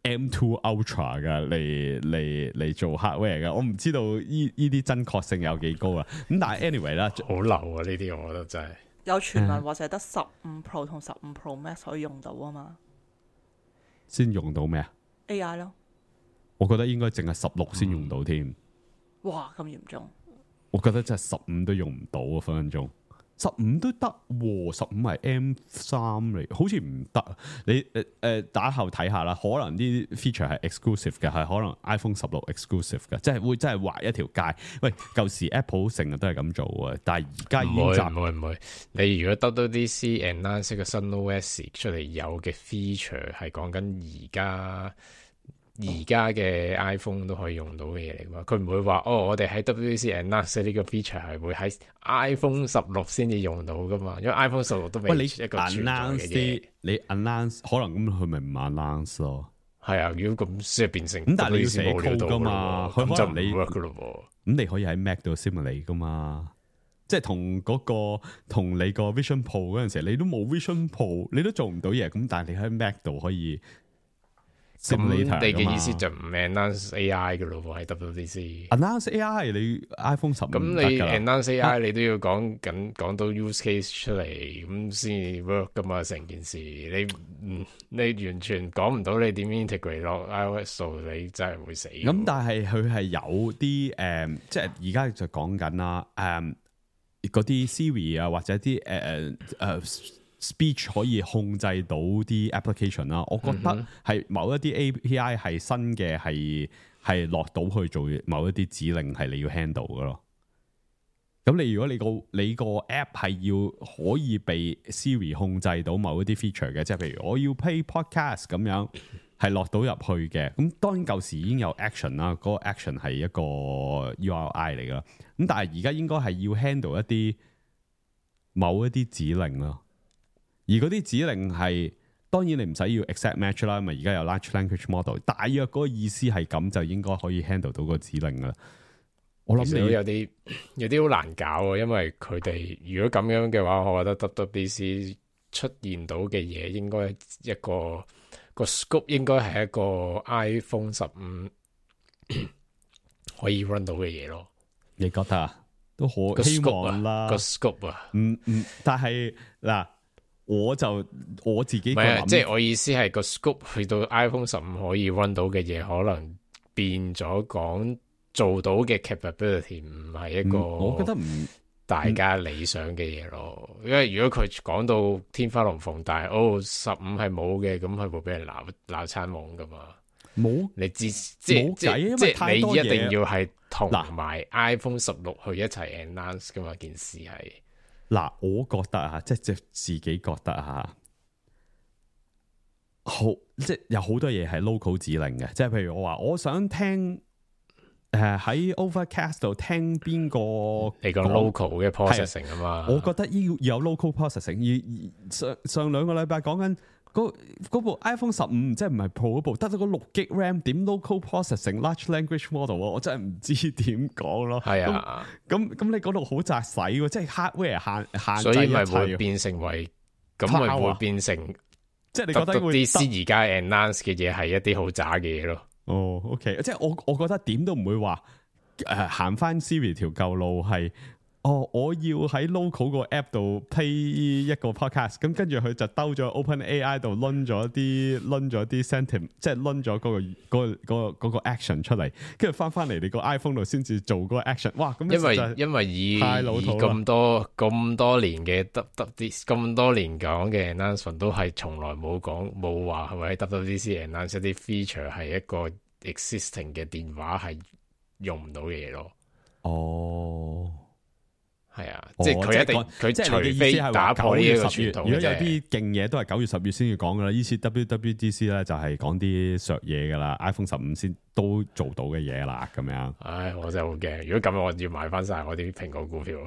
M2 Ultra 嘅嚟做 hardware 嘅，我唔知道呢啲真確性有幾高啦。咁但係 anyway 啦，好流啊呢啲，我覺得真係有傳聞話淨係得15 Pro 同15 Pro Max 可以用到啊嘛。先用到咩啊 AI 咯，我覺得應該淨係16先用到添。哇，咁嚴重！我覺得真係15都用唔到啊，分分鐘15都得喎，15係 M3 嚟，好似唔得。你打後睇下啦，可能啲 feature 係 exclusive 嘅，係可能 iPhone 16 exclusive 嘅，即係會真係劃一條界。喂，舊時 Apple 成日都係咁做嘅，但係而家已經唔會。你如果WWDC announce 個新 OS 出嚟有嘅 feature 係講緊而家嘅 iPhone 都可以用到嘅嘢嚟㗎，佢唔會話我哋喺 WWDC announce 呢個 feature 係會喺 iPhone 16先至用到㗎嘛，因為 iPhone 16都未一個存在嘅嘢。你 announce 可能咁佢咪唔 announce 咯？係啊，如果咁先變成咁，但係你要寫 code 㗎嘛，佢就唔你 work 㗎咯喎。咁你可以喺 Mac 度 simulate 㗎嘛，即係同你個 Vision Pro 嗰陣時，你都冇 Vision Pro， 你都做唔到嘢。咁但係你喺 Mac 度可以。咁你嘅意思就唔 announce AI 嘅咯喎，喺 WWDC。announce AI 你 iPhone 10咁你 announce AI 你都要講到 use case 出嚟，咁先 work 噶嘛成件事。你完全講唔到你點 integrate 落 iOS 度，你真係會死。咁但係佢係有啲即係而家就講緊啦，嗰啲 Siri 啊或者啲speech 可以控制到啲 application 啦，我覺得係某一啲 API 係新嘅，係落到去做某一啲指令係你要 handle 嘅咯。咁你如果你個 app 係要可以被 Siri 控制到某一啲 feature 嘅，即係譬如我要 play podcast 咁樣，係落到入去嘅。咁當然舊時已經有 action 啦，嗰個 action 係一個 URI 嚟噶啦。咁但係而家應該係要 handle 一啲某一啲指令咯。而嗰啲指令係當然你唔使要 exact match 啦，因為而家有 large language model， 大約嗰個意思係咁就應該可以 handle 到個指令噶啦。我諗你有啲好難搞啊，因為佢哋如果咁樣嘅話，我覺得 WWDC 出現到嘅嘢應該一個 scope 應該係一個 iPhone 15可以 run 到嘅嘢咯。你覺得啊？都好希望啦，個 scope 啊，但係嗱，我自己即係我意思係個 scope 去到 iPhone 15可以 run 到嘅嘢，可能變咗講做到嘅 capability 唔係一個，我覺得唔大家理想嘅嘢咯。因為如果佢講到天花龍鳳，但係15係冇嘅，咁佢會俾人鬧餐懵噶嘛。冇，你知冇計，因為太多嘢，你一定要係同埋 iPhone 16去一齊 announce 噶嘛，件事係。嗱，我覺得啊，即係自己覺得啊，好，即係有好多嘢係 local 指令嘅，即係譬如我話我想聽喺 Overcast 度聽邊個，你個 local 嘅 processing 啊嘛，我覺得要有 local processing。上兩個禮拜講緊。嗰部 iPhone 15即係唔係 Pro 嗰部，得咗個6GB RAM，點 local processing large language model 我真係唔知點講咯。係啊，咁你嗰度好窄使喎，即係 hardware 限制，所以咪會變成為咁咪會變成，即係你覺得啲而家 announce 嘅嘢係一啲好渣嘅嘢咯。哦，OK， 即係我覺得點都唔會話行翻 Siri 條舊路係。我要喺 local 個 app 度 play 一個 podcast， 咁跟住佢就兜咗 OpenAI 度掄咗啲 sentiment， 即係掄咗嗰個 action 出嚟，跟住翻嚟你個 iPhone 度先至做嗰個 action。哇！咁因為以咁多年嘅咁多年講嘅 announcement 都係從來冇話係咪喺 WWDC announce 一啲 feature 係一個 existing 嘅電話係用唔到嘅嘢咯。哦。係啊，即係佢一定佢除非打破呢一個傳統，如果有啲勁嘢都係9月10月先要講噶啦。呢次 WWDC 咧就係講啲削嘢噶啦 ，iPhone 15先都做到嘅嘢啦，咁樣。唉，我真係好驚，如果咁樣我要買翻晒我啲蘋果股票。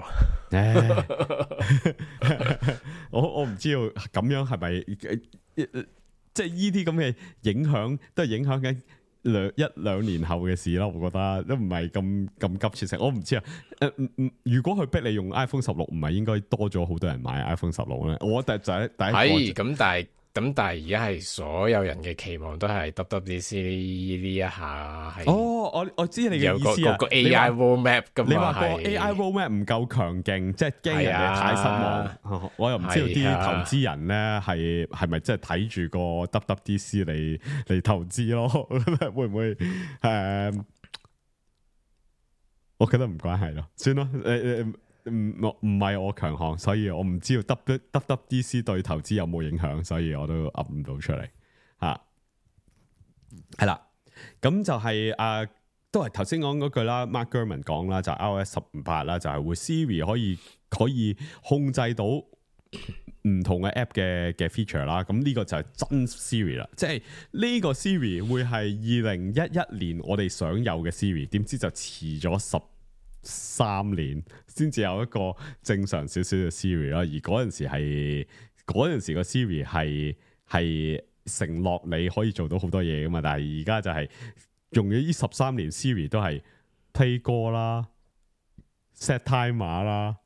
我唔知道咁樣係咪即係呢啲咁嘅影響都係影響緊一兩年後嘅事啦，我覺得都唔係咁急切性。我唔知啊，如果佢逼你用 iPhone 16，唔係應該多咗好多人買 iPhone 16咧？我第一係咁，但係而家係所有人嘅期望都係 WWDC 呢一下係。我知你嘅意思啊。有個 AI roadmap 噶嘛？你話個 AI roadmap 唔夠強勁，即係驚人哋太失望。我又唔知道啲投資人咧係咪真係睇住個 WWDC 嚟投資咯？會唔會我覺得唔關係咯，算咯。唔係我強項，所以我唔知道 WWDC 對投資有冇影響，所以我都噏唔到出嚟吓。係啦，咁就係都係頭先講嗰句啦 ，Mark Gurman 講啦，就係 iOS 18啦，就係會 Siri 可以控制到唔同嘅 app 嘅 feature 啦。咁呢個就係真 Siri 啦，即係呢個 Siri 會係2011年我哋想有嘅 Siri， 點知就遲咗13年先至有一個正常少少嘅 Siri 啦，而嗰陣時個 Siri 係承諾你可以做到好多嘢噶嘛，但係而家就係用咗呢13年 Siri 都係 play 歌啦 set timer 啦，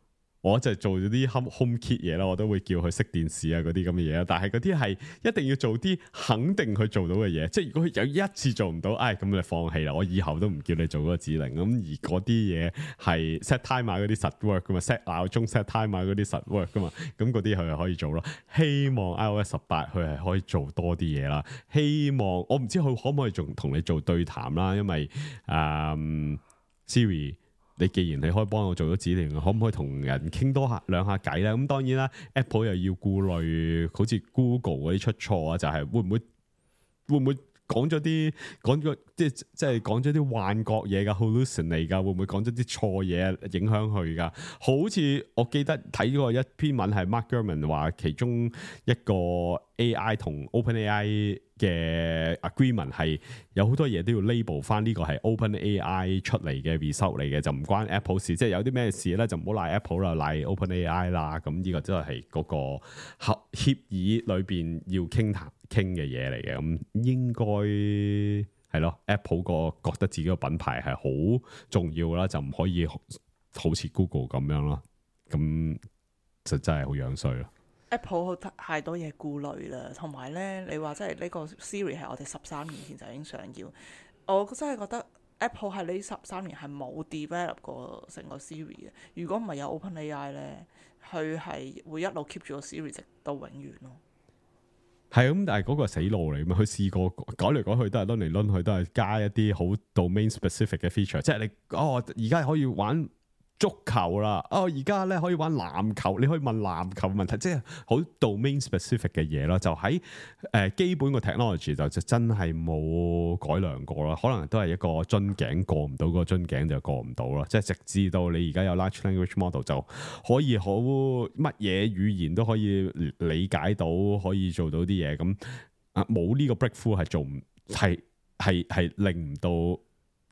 我就做咗啲 HomeKit 嘢啦，我都會叫佢熄電視啊嗰啲咁嘅嘢啦，但係嗰啲係一定要做啲肯定佢做到嘅嘢，即係如果佢有一次做唔到，咁你放棄啦，我以後都唔叫你做嗰個指令。咁而嗰啲嘢係 set timer 嗰啲實 work 噶嘛 ，set 鬧鐘 set timer 嗰啲實 work 噶嘛，咁嗰啲佢係可以做咯。希望 iOS 18佢係可以做多啲嘢啦。希望我唔知佢可唔可以仲同你做對談啦，因為Siri。你既然你可以幫我做咗指令，可唔可以同人傾多兩下偈咧？咁當然啦 ，Apple 又要顧慮，好似 Google 嗰啲出錯啊，就係會唔會講咗即係講咗啲幻覺嘢噶 hallucinate 噶，會唔會講咗啲錯嘢影響佢噶？好似我記得睇過一篇文係 Mark Gurman 話，其中一個 AI 同 OpenAI 嘅 agreement 係有好多嘢都要 label 翻，呢個係 OpenAI 出嚟嘅 result 嚟嘅，就唔關 Apple 事。即係有啲咩事咧，就唔好賴 Apple 啦，賴 OpenAI 啦。咁呢個真係嗰個協議裏邊要傾嘅嘢嚟嘅。咁應該係咯 ，Apple 個覺得自己個品牌係好重要啦，就唔可以好似 Google 咁樣咯。咁就真係好樣衰咯。Apple 太多嘢顧慮啦，同埋咧，你話即係呢個 Siri 係我哋13年前就已經想要，我真係覺得 Apple 喺呢13年係冇 develop 過成個 Siri 嘅。如果唔係有 OpenAI 咧，佢係會一路 keep 住個 Siri 直到永遠咯。係咁，但係嗰個係死路嚟嘛。佢試過改嚟改去都係攆嚟攆去，都係加一啲好 domain specific 嘅 feature。即係你而家可以玩足球啦，而家咧可以玩籃球，你可以問籃球問題，即係好 domain specific 嘅嘢咯。就喺基本個 technology 就真係冇改良過啦，可能都係一個樽頸過唔到，嗰個樽頸就過唔到啦。即係直至到你而家有 large language model 就可以好乜嘢語言都可以理解到，可以做到啲嘢咁冇呢個 breakthrough 係做唔係令唔到。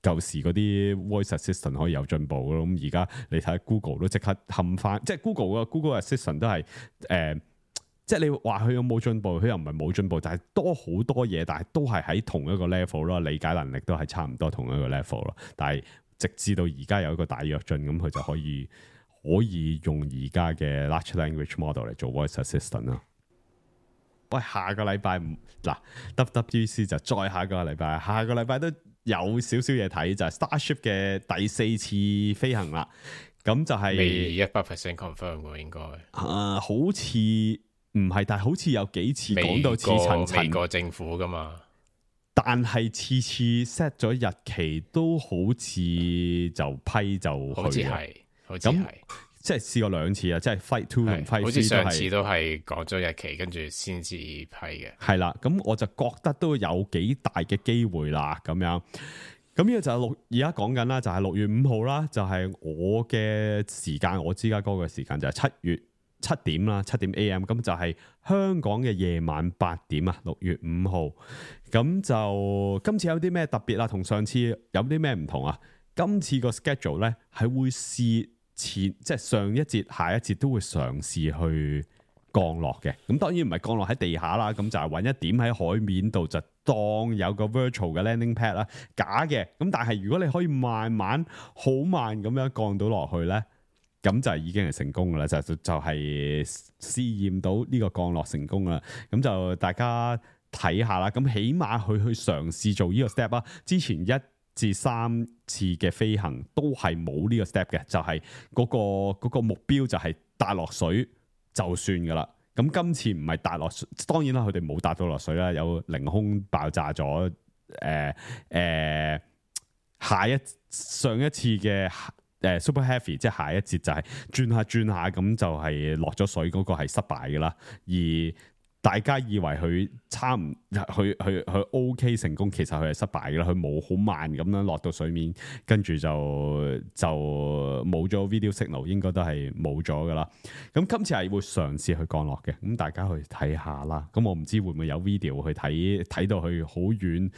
舊時嗰啲 voice assistant 可以有進步咯，咁而家你睇 Google 都即刻冚翻，即係 Google assistant 都係即係你話佢有冇進步，佢又唔係冇進步，但係多好多嘢，但係都係喺同一個 level 咯，理解能力都係差唔多同一個 level 咯。但係直至到而家有一個大躍進，咁佢就可以用而家嘅 large language model 嚟做 voice assistant 咯。喂，下個禮拜嗱 WWDC 就再下個禮拜都有少少嘢睇，就係 Starship 嘅第4次飛行啦。咁就係未100% confirm 喎，應該好似唔係，但係好似有幾次講到似層層。美國政府噶嘛，但係次次 set 咗日期都好似就批就去，好似係。即係試過2次啊！即係 Flight 2同 Flight 3好似上次都係講咗日期，跟住先至批嘅。係啦，咁我就覺得都有幾大嘅機會啦，咁樣。咁呢個就係而家講緊啦，就係6月5號啦，就係我嘅時間，我芝加哥嘅時間就係7點啦，7點 AM。咁就係香港嘅夜晚8點啊，6月5號。咁就今次有啲咩特別啦？同上次有啲咩唔同啊？今次個 schedule 咧係會試。即係上一節、下一節都會嘗試去降落嘅，咁當然唔係降落喺地下啦，咁就係揾一點喺海面度，就當有個 virtual 嘅 landing pad 啦，假嘅。咁但係如果你可以慢慢、好慢咁樣降到落去咧，咁就已經係成功噶啦，就係試驗到呢個降落成功啦。咁就大家睇下啦，咁起碼去嘗試做呢個 step 啦。之前1至3次嘅飛行都係冇呢個 step 嘅，就係嗰個目標就係踏落水就算噶啦。咁今次唔係踏落水，當然啦，佢哋冇踏到落水啦，有凌空爆炸咗。上一次嘅Super Heavy， 即係下一節就係轉下咁就係落咗水，嗰個係失敗噶啦。而大家以為佢佢 OK 成功，其實佢係失敗嘅啦。佢冇好慢咁樣落到水面，跟住就冇咗 video signal， 應該都係冇咗噶啦。咁今次係會嘗試去降落嘅，咁大家去睇下啦。咁我唔知會唔會有 video 去睇到去好遠。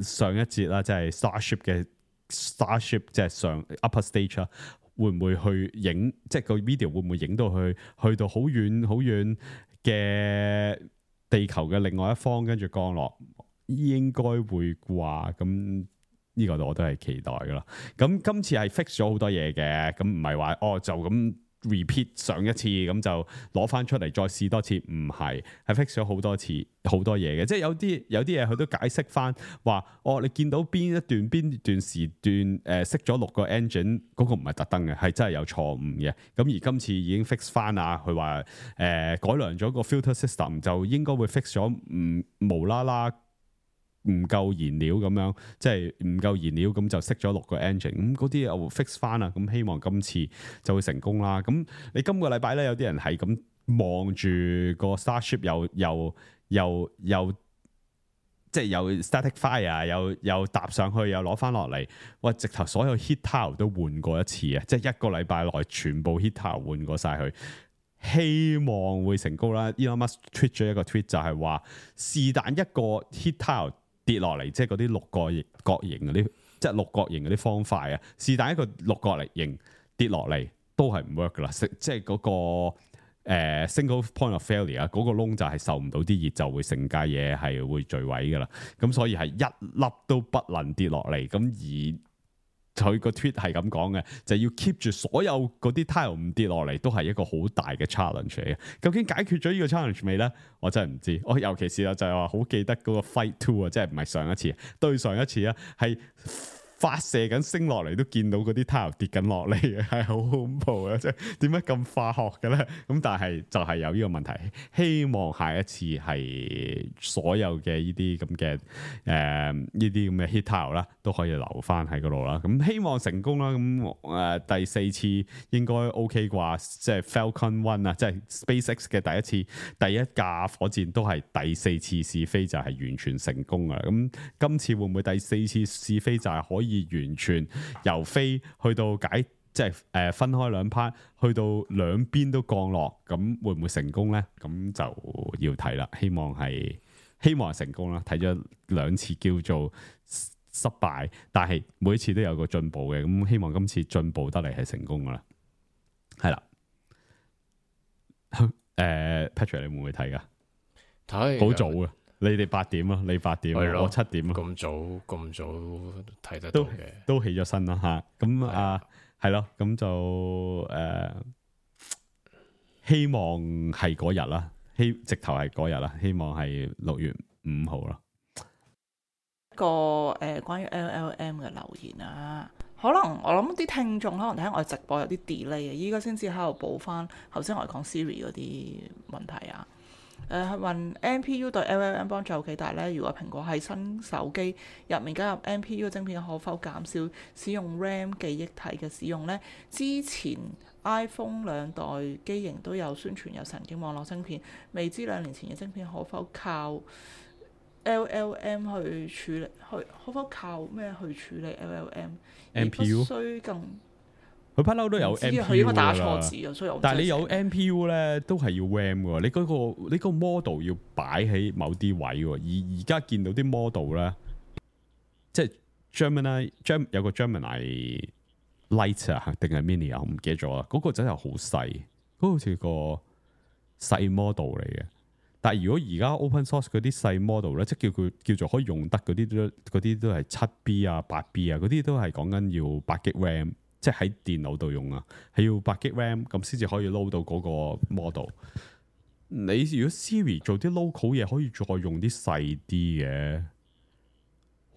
上一節啦，即係 Starship 即係上 upper stage 啦，會唔會去影？即係個 video 會唔會影到去到好遠好遠嘅地球嘅另外一方，跟住降落，應該會啩。咁呢個我都係期待噶啦。咁今次係 fix 咗好多嘢嘅，咁唔係話就咁 repeat 上一次咁就攞翻出嚟再試多次，唔係 fix 咗好多次好多嘢嘅。即係有啲嘢佢都解釋翻話，你見到邊一段時段熄咗6個 engine， 嗰個唔係特登嘅，係真係有錯誤嘅。咁而今次已經 fix 翻啊，佢話改良咗個 filter system， 就應該會 fix 咗無啦啦唔夠燃料咁樣，即係唔夠燃料咁就熄咗6個 engine， 咁嗰啲又 fix 翻啦。咁希望今次就會成功啦。咁你今個禮拜咧，有啲人係咁望住個 Starship 又即係有 static fire， 又搭上去又攞翻落嚟，喂，直頭所有 heat tower 都換過一次啊！即係一個禮拜內全部 heat tower 換過晒佢，希望會成功啦。Elon Musk tweet 咗一個 tweet 就係話，是但一個 heat tower跌落嚟，即係嗰啲六角形嗰啲，即係六角形嗰啲方塊啊！是但一個六角形跌落嚟都係唔 work 噶啦，即係嗰個single point of failure 啊，嗰個窿就係受唔到啲熱，就會成架嘢係會墜毀噶啦。咁所以係一粒都不能跌落嚟。咁而佢個 tweet 係咁講嘅，就要 keep 住所有嗰啲 tile 唔跌落嚟，都係一個好大嘅 challenge 嚟嘅。究竟解決咗呢個 challenge 未咧？我真係唔知。我尤其是就係話好記得嗰個 Flight 2啊，即係唔係上一次，對上一次啊，係發射緊升落嚟都見到嗰啲 tile 跌緊落嚟嘅，係好恐怖啊！即係點解咁化學嘅咧？咁但係就係有呢個問題，希望下一次係所有嘅呢啲咁嘅呢啲咁嘅 heat tile 啦，都可以留翻喺嗰度啦。咁希望成功啦。咁第4次應該 OK 啩？即係 Falcon 1啊，即係 SpaceX 嘅第一架火箭都係第4次試飛就係完全成功噶啦。咁今次會唔會第4次試飛就係可以完全由飛去到即係分開2 part，去到兩邊都降落，咁會唔會成功咧？咁就要睇啦。希望係成功啦。睇咗2次叫做失敗，但係每一次都有個進步嘅。咁希望今次進步得嚟係成功噶啦。係啦。Patrick 你會唔會睇噶？睇好早啊！你哋8點啊，你8點，我7點啊。咁早睇得到嘅，都起咗身啦吓。咁係咯，咁就希望係嗰日啦，直頭係嗰日啦，希望係6月5號啦。個關於 LLM 嘅留言啊，可能我諗啲聽眾可能睇我哋直播有啲 delay 嘅，依家先至喺度補翻頭先我哋講 Siri 嗰啲問題啊。係問 NPU 對 LLM 幫助有幾大呢？如果蘋果喺新手機入面加入 NPU 晶片，可否減少使用 RAM 記憶體嘅使用呢？之前 iPhone 2代機型都有宣傳有神經網絡晶片，未知2年前嘅晶片可否靠 LLM 去處理？可否靠咩去處理 LLM？NPU 需更佢不嬲都有 NPU 佢應該打錯字啊，所以但係你有 NPU 咧，都係要 RAM 嘅。你個 model 要擺喺某啲位喎。而家見到啲 model 咧，即係 Gemini 有個 Gemini Lite 啊，定係 Mini 啊，我唔記得咗啦。嗰個真係好細，嗰個好似個細 model 嚟嘅。但係如果而家 open source 嗰啲細 model 咧，即係叫做可以用得嗰啲都係7B 啊、8B 啊，嗰啲都係講緊要8GB RAM。即係喺電腦度用啊，係要8GB RAM 咁先至可以 load 到嗰個 model。你如果 Siri 做啲 local 嘢，可以再用啲細啲嘅，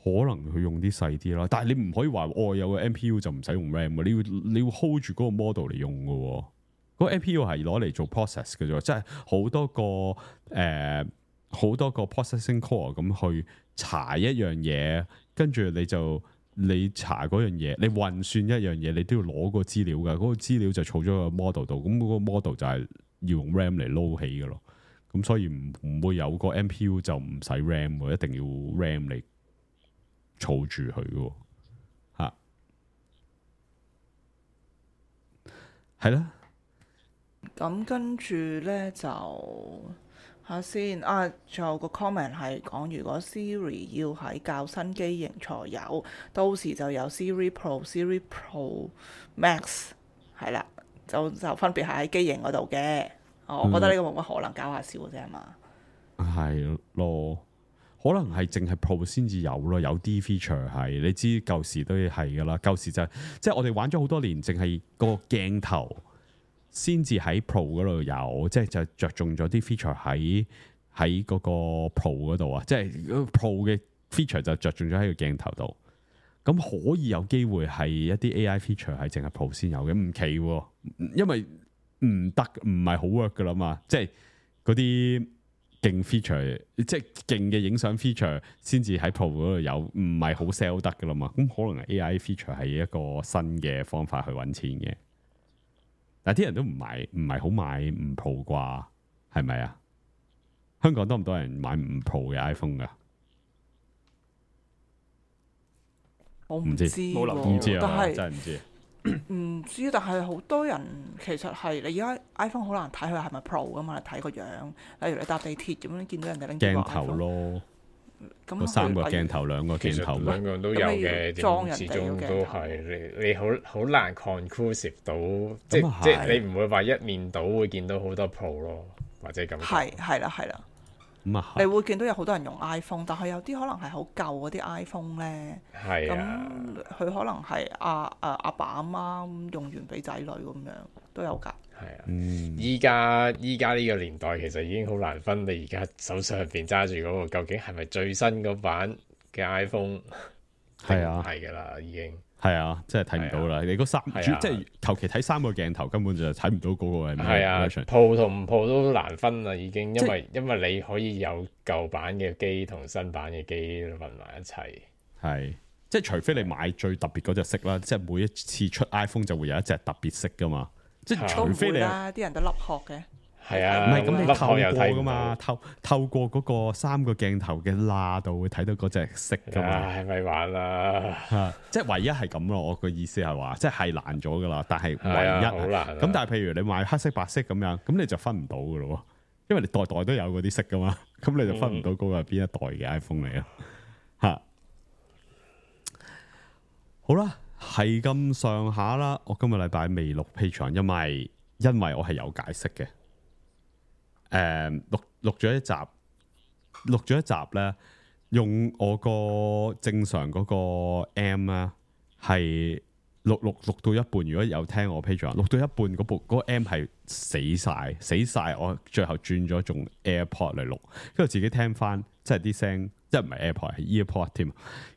可能佢用啲細啲啦。但係你唔可以話有個 NPU 就唔使用 RAM，你要 hold 住嗰個 model 嚟用嘅。嗰個 NPU 係攞嚟做 process 嘅啫，即係好多個 processing core 咁去查一樣嘢，跟住你查嗰樣嘢，你運算一樣嘢，你都要攞個資料噶，嗰個資料就儲咗個 model 度，咁嗰個 model 就係要用 RAM 嚟撈起噶咯。咁所以唔會有個 NPU 就唔使 RAM，一定要 RAM 嚟儲住佢嘅吓，係啦。咁跟住咧就下先啊，仲有個 comment 係講，如果 Siri 要喺較新機型才有，到時就有 Siri Pro、Siri Pro Max 係啦，就分別係喺機型嗰度嘅。我覺得呢個冇乜可能，搞下笑嘅啫係嘛？係咯，可能係淨係 Pro 先至有咯，有啲 feature 係你知舊時都係噶啦，舊時就即係我哋玩咗好多年，淨係個鏡頭先至喺 Pro 嗰度有，即係就着重咗啲 feature 喺嗰個 Pro 嗰度啊，即係 Pro 嘅 feature 就着重咗喺個鏡頭度。咁可以有機會係一啲 AI feature 係淨係 Pro 先有嘅，唔奇，因為唔得，唔係好 work 噶啦嘛。即係嗰啲勁 feature，即係勁嘅影相 feature 先至喺 Pro 嗰度有，唔係好 sell 得噶啦嘛。咁可能 AI feature 係一個新嘅方法去揾錢嘅。但係啲人都唔係好買5 Pro 啩，係咪啊？香港多唔多人買5 Pro 嘅 iPhone 噶？我唔知，冇留意，唔知啊，但係真係唔知。唔知，但係好多人其實係你而家 iPhone 好難睇佢係咪 Pro 噶嘛？你睇個樣，例如你搭地鐵咁樣見到人哋拎住個 iPhone 鏡頭咯，咁3個鏡頭2個鏡頭，兩個都有嘅，始終都係你好難 conclusive 到，即係你唔會話一面倒會見到好多 Pro 咯，或者咁。係啦。你會見到有好多人用 iPhone，但係有啲可能係好舊嗰啲 iPhone 咧，咁佢可能係阿爸阿媽用完俾仔女咁樣都有㗎。係啊，依家呢個年代其實已經好難分，你而家手上邊揸住嗰個究竟係咪最新嗰版嘅 iPhone？係啊，係噶啦，已經係啊，真係睇唔到啦。你嗰即係求其睇3個鏡頭，根本就睇唔到嗰個係咩。係啊，Pro 同唔 Pro 都難分啦，已經，因為你可以有舊版嘅機同新版嘅機混埋一齊。係，即係除非你買最特別嗰隻色啦，即係每一次出 iPhone 就會有一隻特別色噶嘛。即係除非你啲人都笠殼嘅。係啊，唔係咁你透過噶嘛，透過嗰個3個鏡頭嘅罅度會睇到嗰隻色噶嘛。唉，咪玩啦，即係唯一係咁咯。我個意思係話，即係難咗噶啦，但係唯一好難。咁但係譬如你買黑色白色咁樣，咁你就分唔到噶咯，因為你代代都有嗰啲色噶嘛，咁你就分唔到嗰個係邊一代嘅 iPhone 嚟咯。吓，好啦，係咁上下啦。我今個禮拜未錄 Patreon，因為我係有解釋嘅。錄咗一集咧，用我個正常嗰個 M 咧，係錄到一半。如果有聽我 Patreon，錄到一半嗰個 M 係死晒。我最後轉咗用 AirPod 嚟錄，跟住自己聽翻，即係啲聲，即係唔係 AirPod 係 EarPod 添，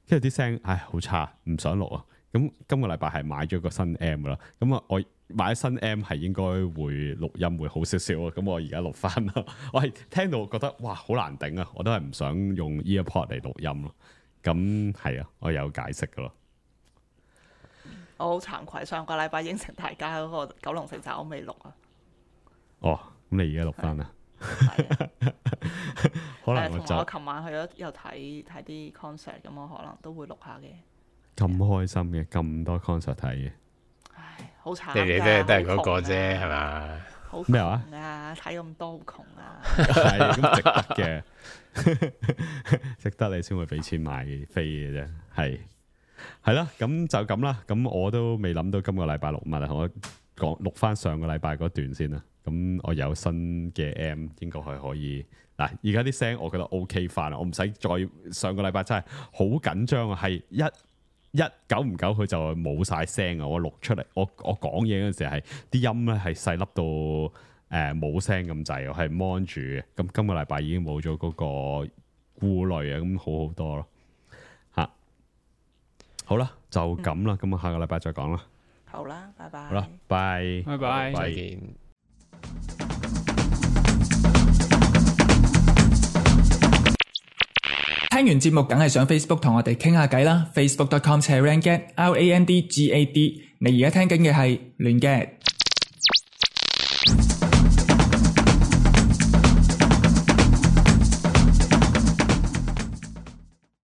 跟住啲聲，唉，好差，唔想錄啊。咁今個禮拜係買咗個新 M 噶啦，咁啊我買新 M 係應該會錄音會好少少啊，咁我而家錄翻啦。我係聽到覺得哇好難頂啊，我都係唔想用 EarPod 嚟錄音咯。咁係啊，我有解釋噶咯。我好慚愧，上個禮拜應承大家嗰個九龍城寨我未錄啊。哦，咁你而家錄翻啦？可能我琴晚去咗又睇啲 concert，咁我可能都會錄下嘅。咁開心嘅，咁多 concert 睇嘅。唉，好慘。你哋都係嗰個啫，係嘛？好咩話？睇咁多好窮啊！係咁值得嘅，值得你先會俾錢買飛嘅啫。係啦，咁就咁啦。咁我都未諗到今個禮拜錄乜啊，我講錄翻上個禮拜嗰段先啦。咁我有新嘅 M， 應該係可以嗱。而家啲聲我覺得 OK 翻啦，我唔使再上個禮拜真係好緊張啊，係一久唔久佢就冇晒聲啊！我錄出嚟，我講嘢嗰陣時係啲音咧係細粒到冇聲咁滯，我係 mon 住嘅。咁今個禮拜已經冇咗嗰個顧慮啊，咁好好多咯嚇。好啦，就咁啦，咁啊下個禮拜再講啦。好啦，拜拜。好啦，拜拜，再見。聽完節目梗係上 Facebook 同我哋傾下偈啦 ，facebook.com/randgad，RANDGAD。你而家聽緊嘅係亂 gad。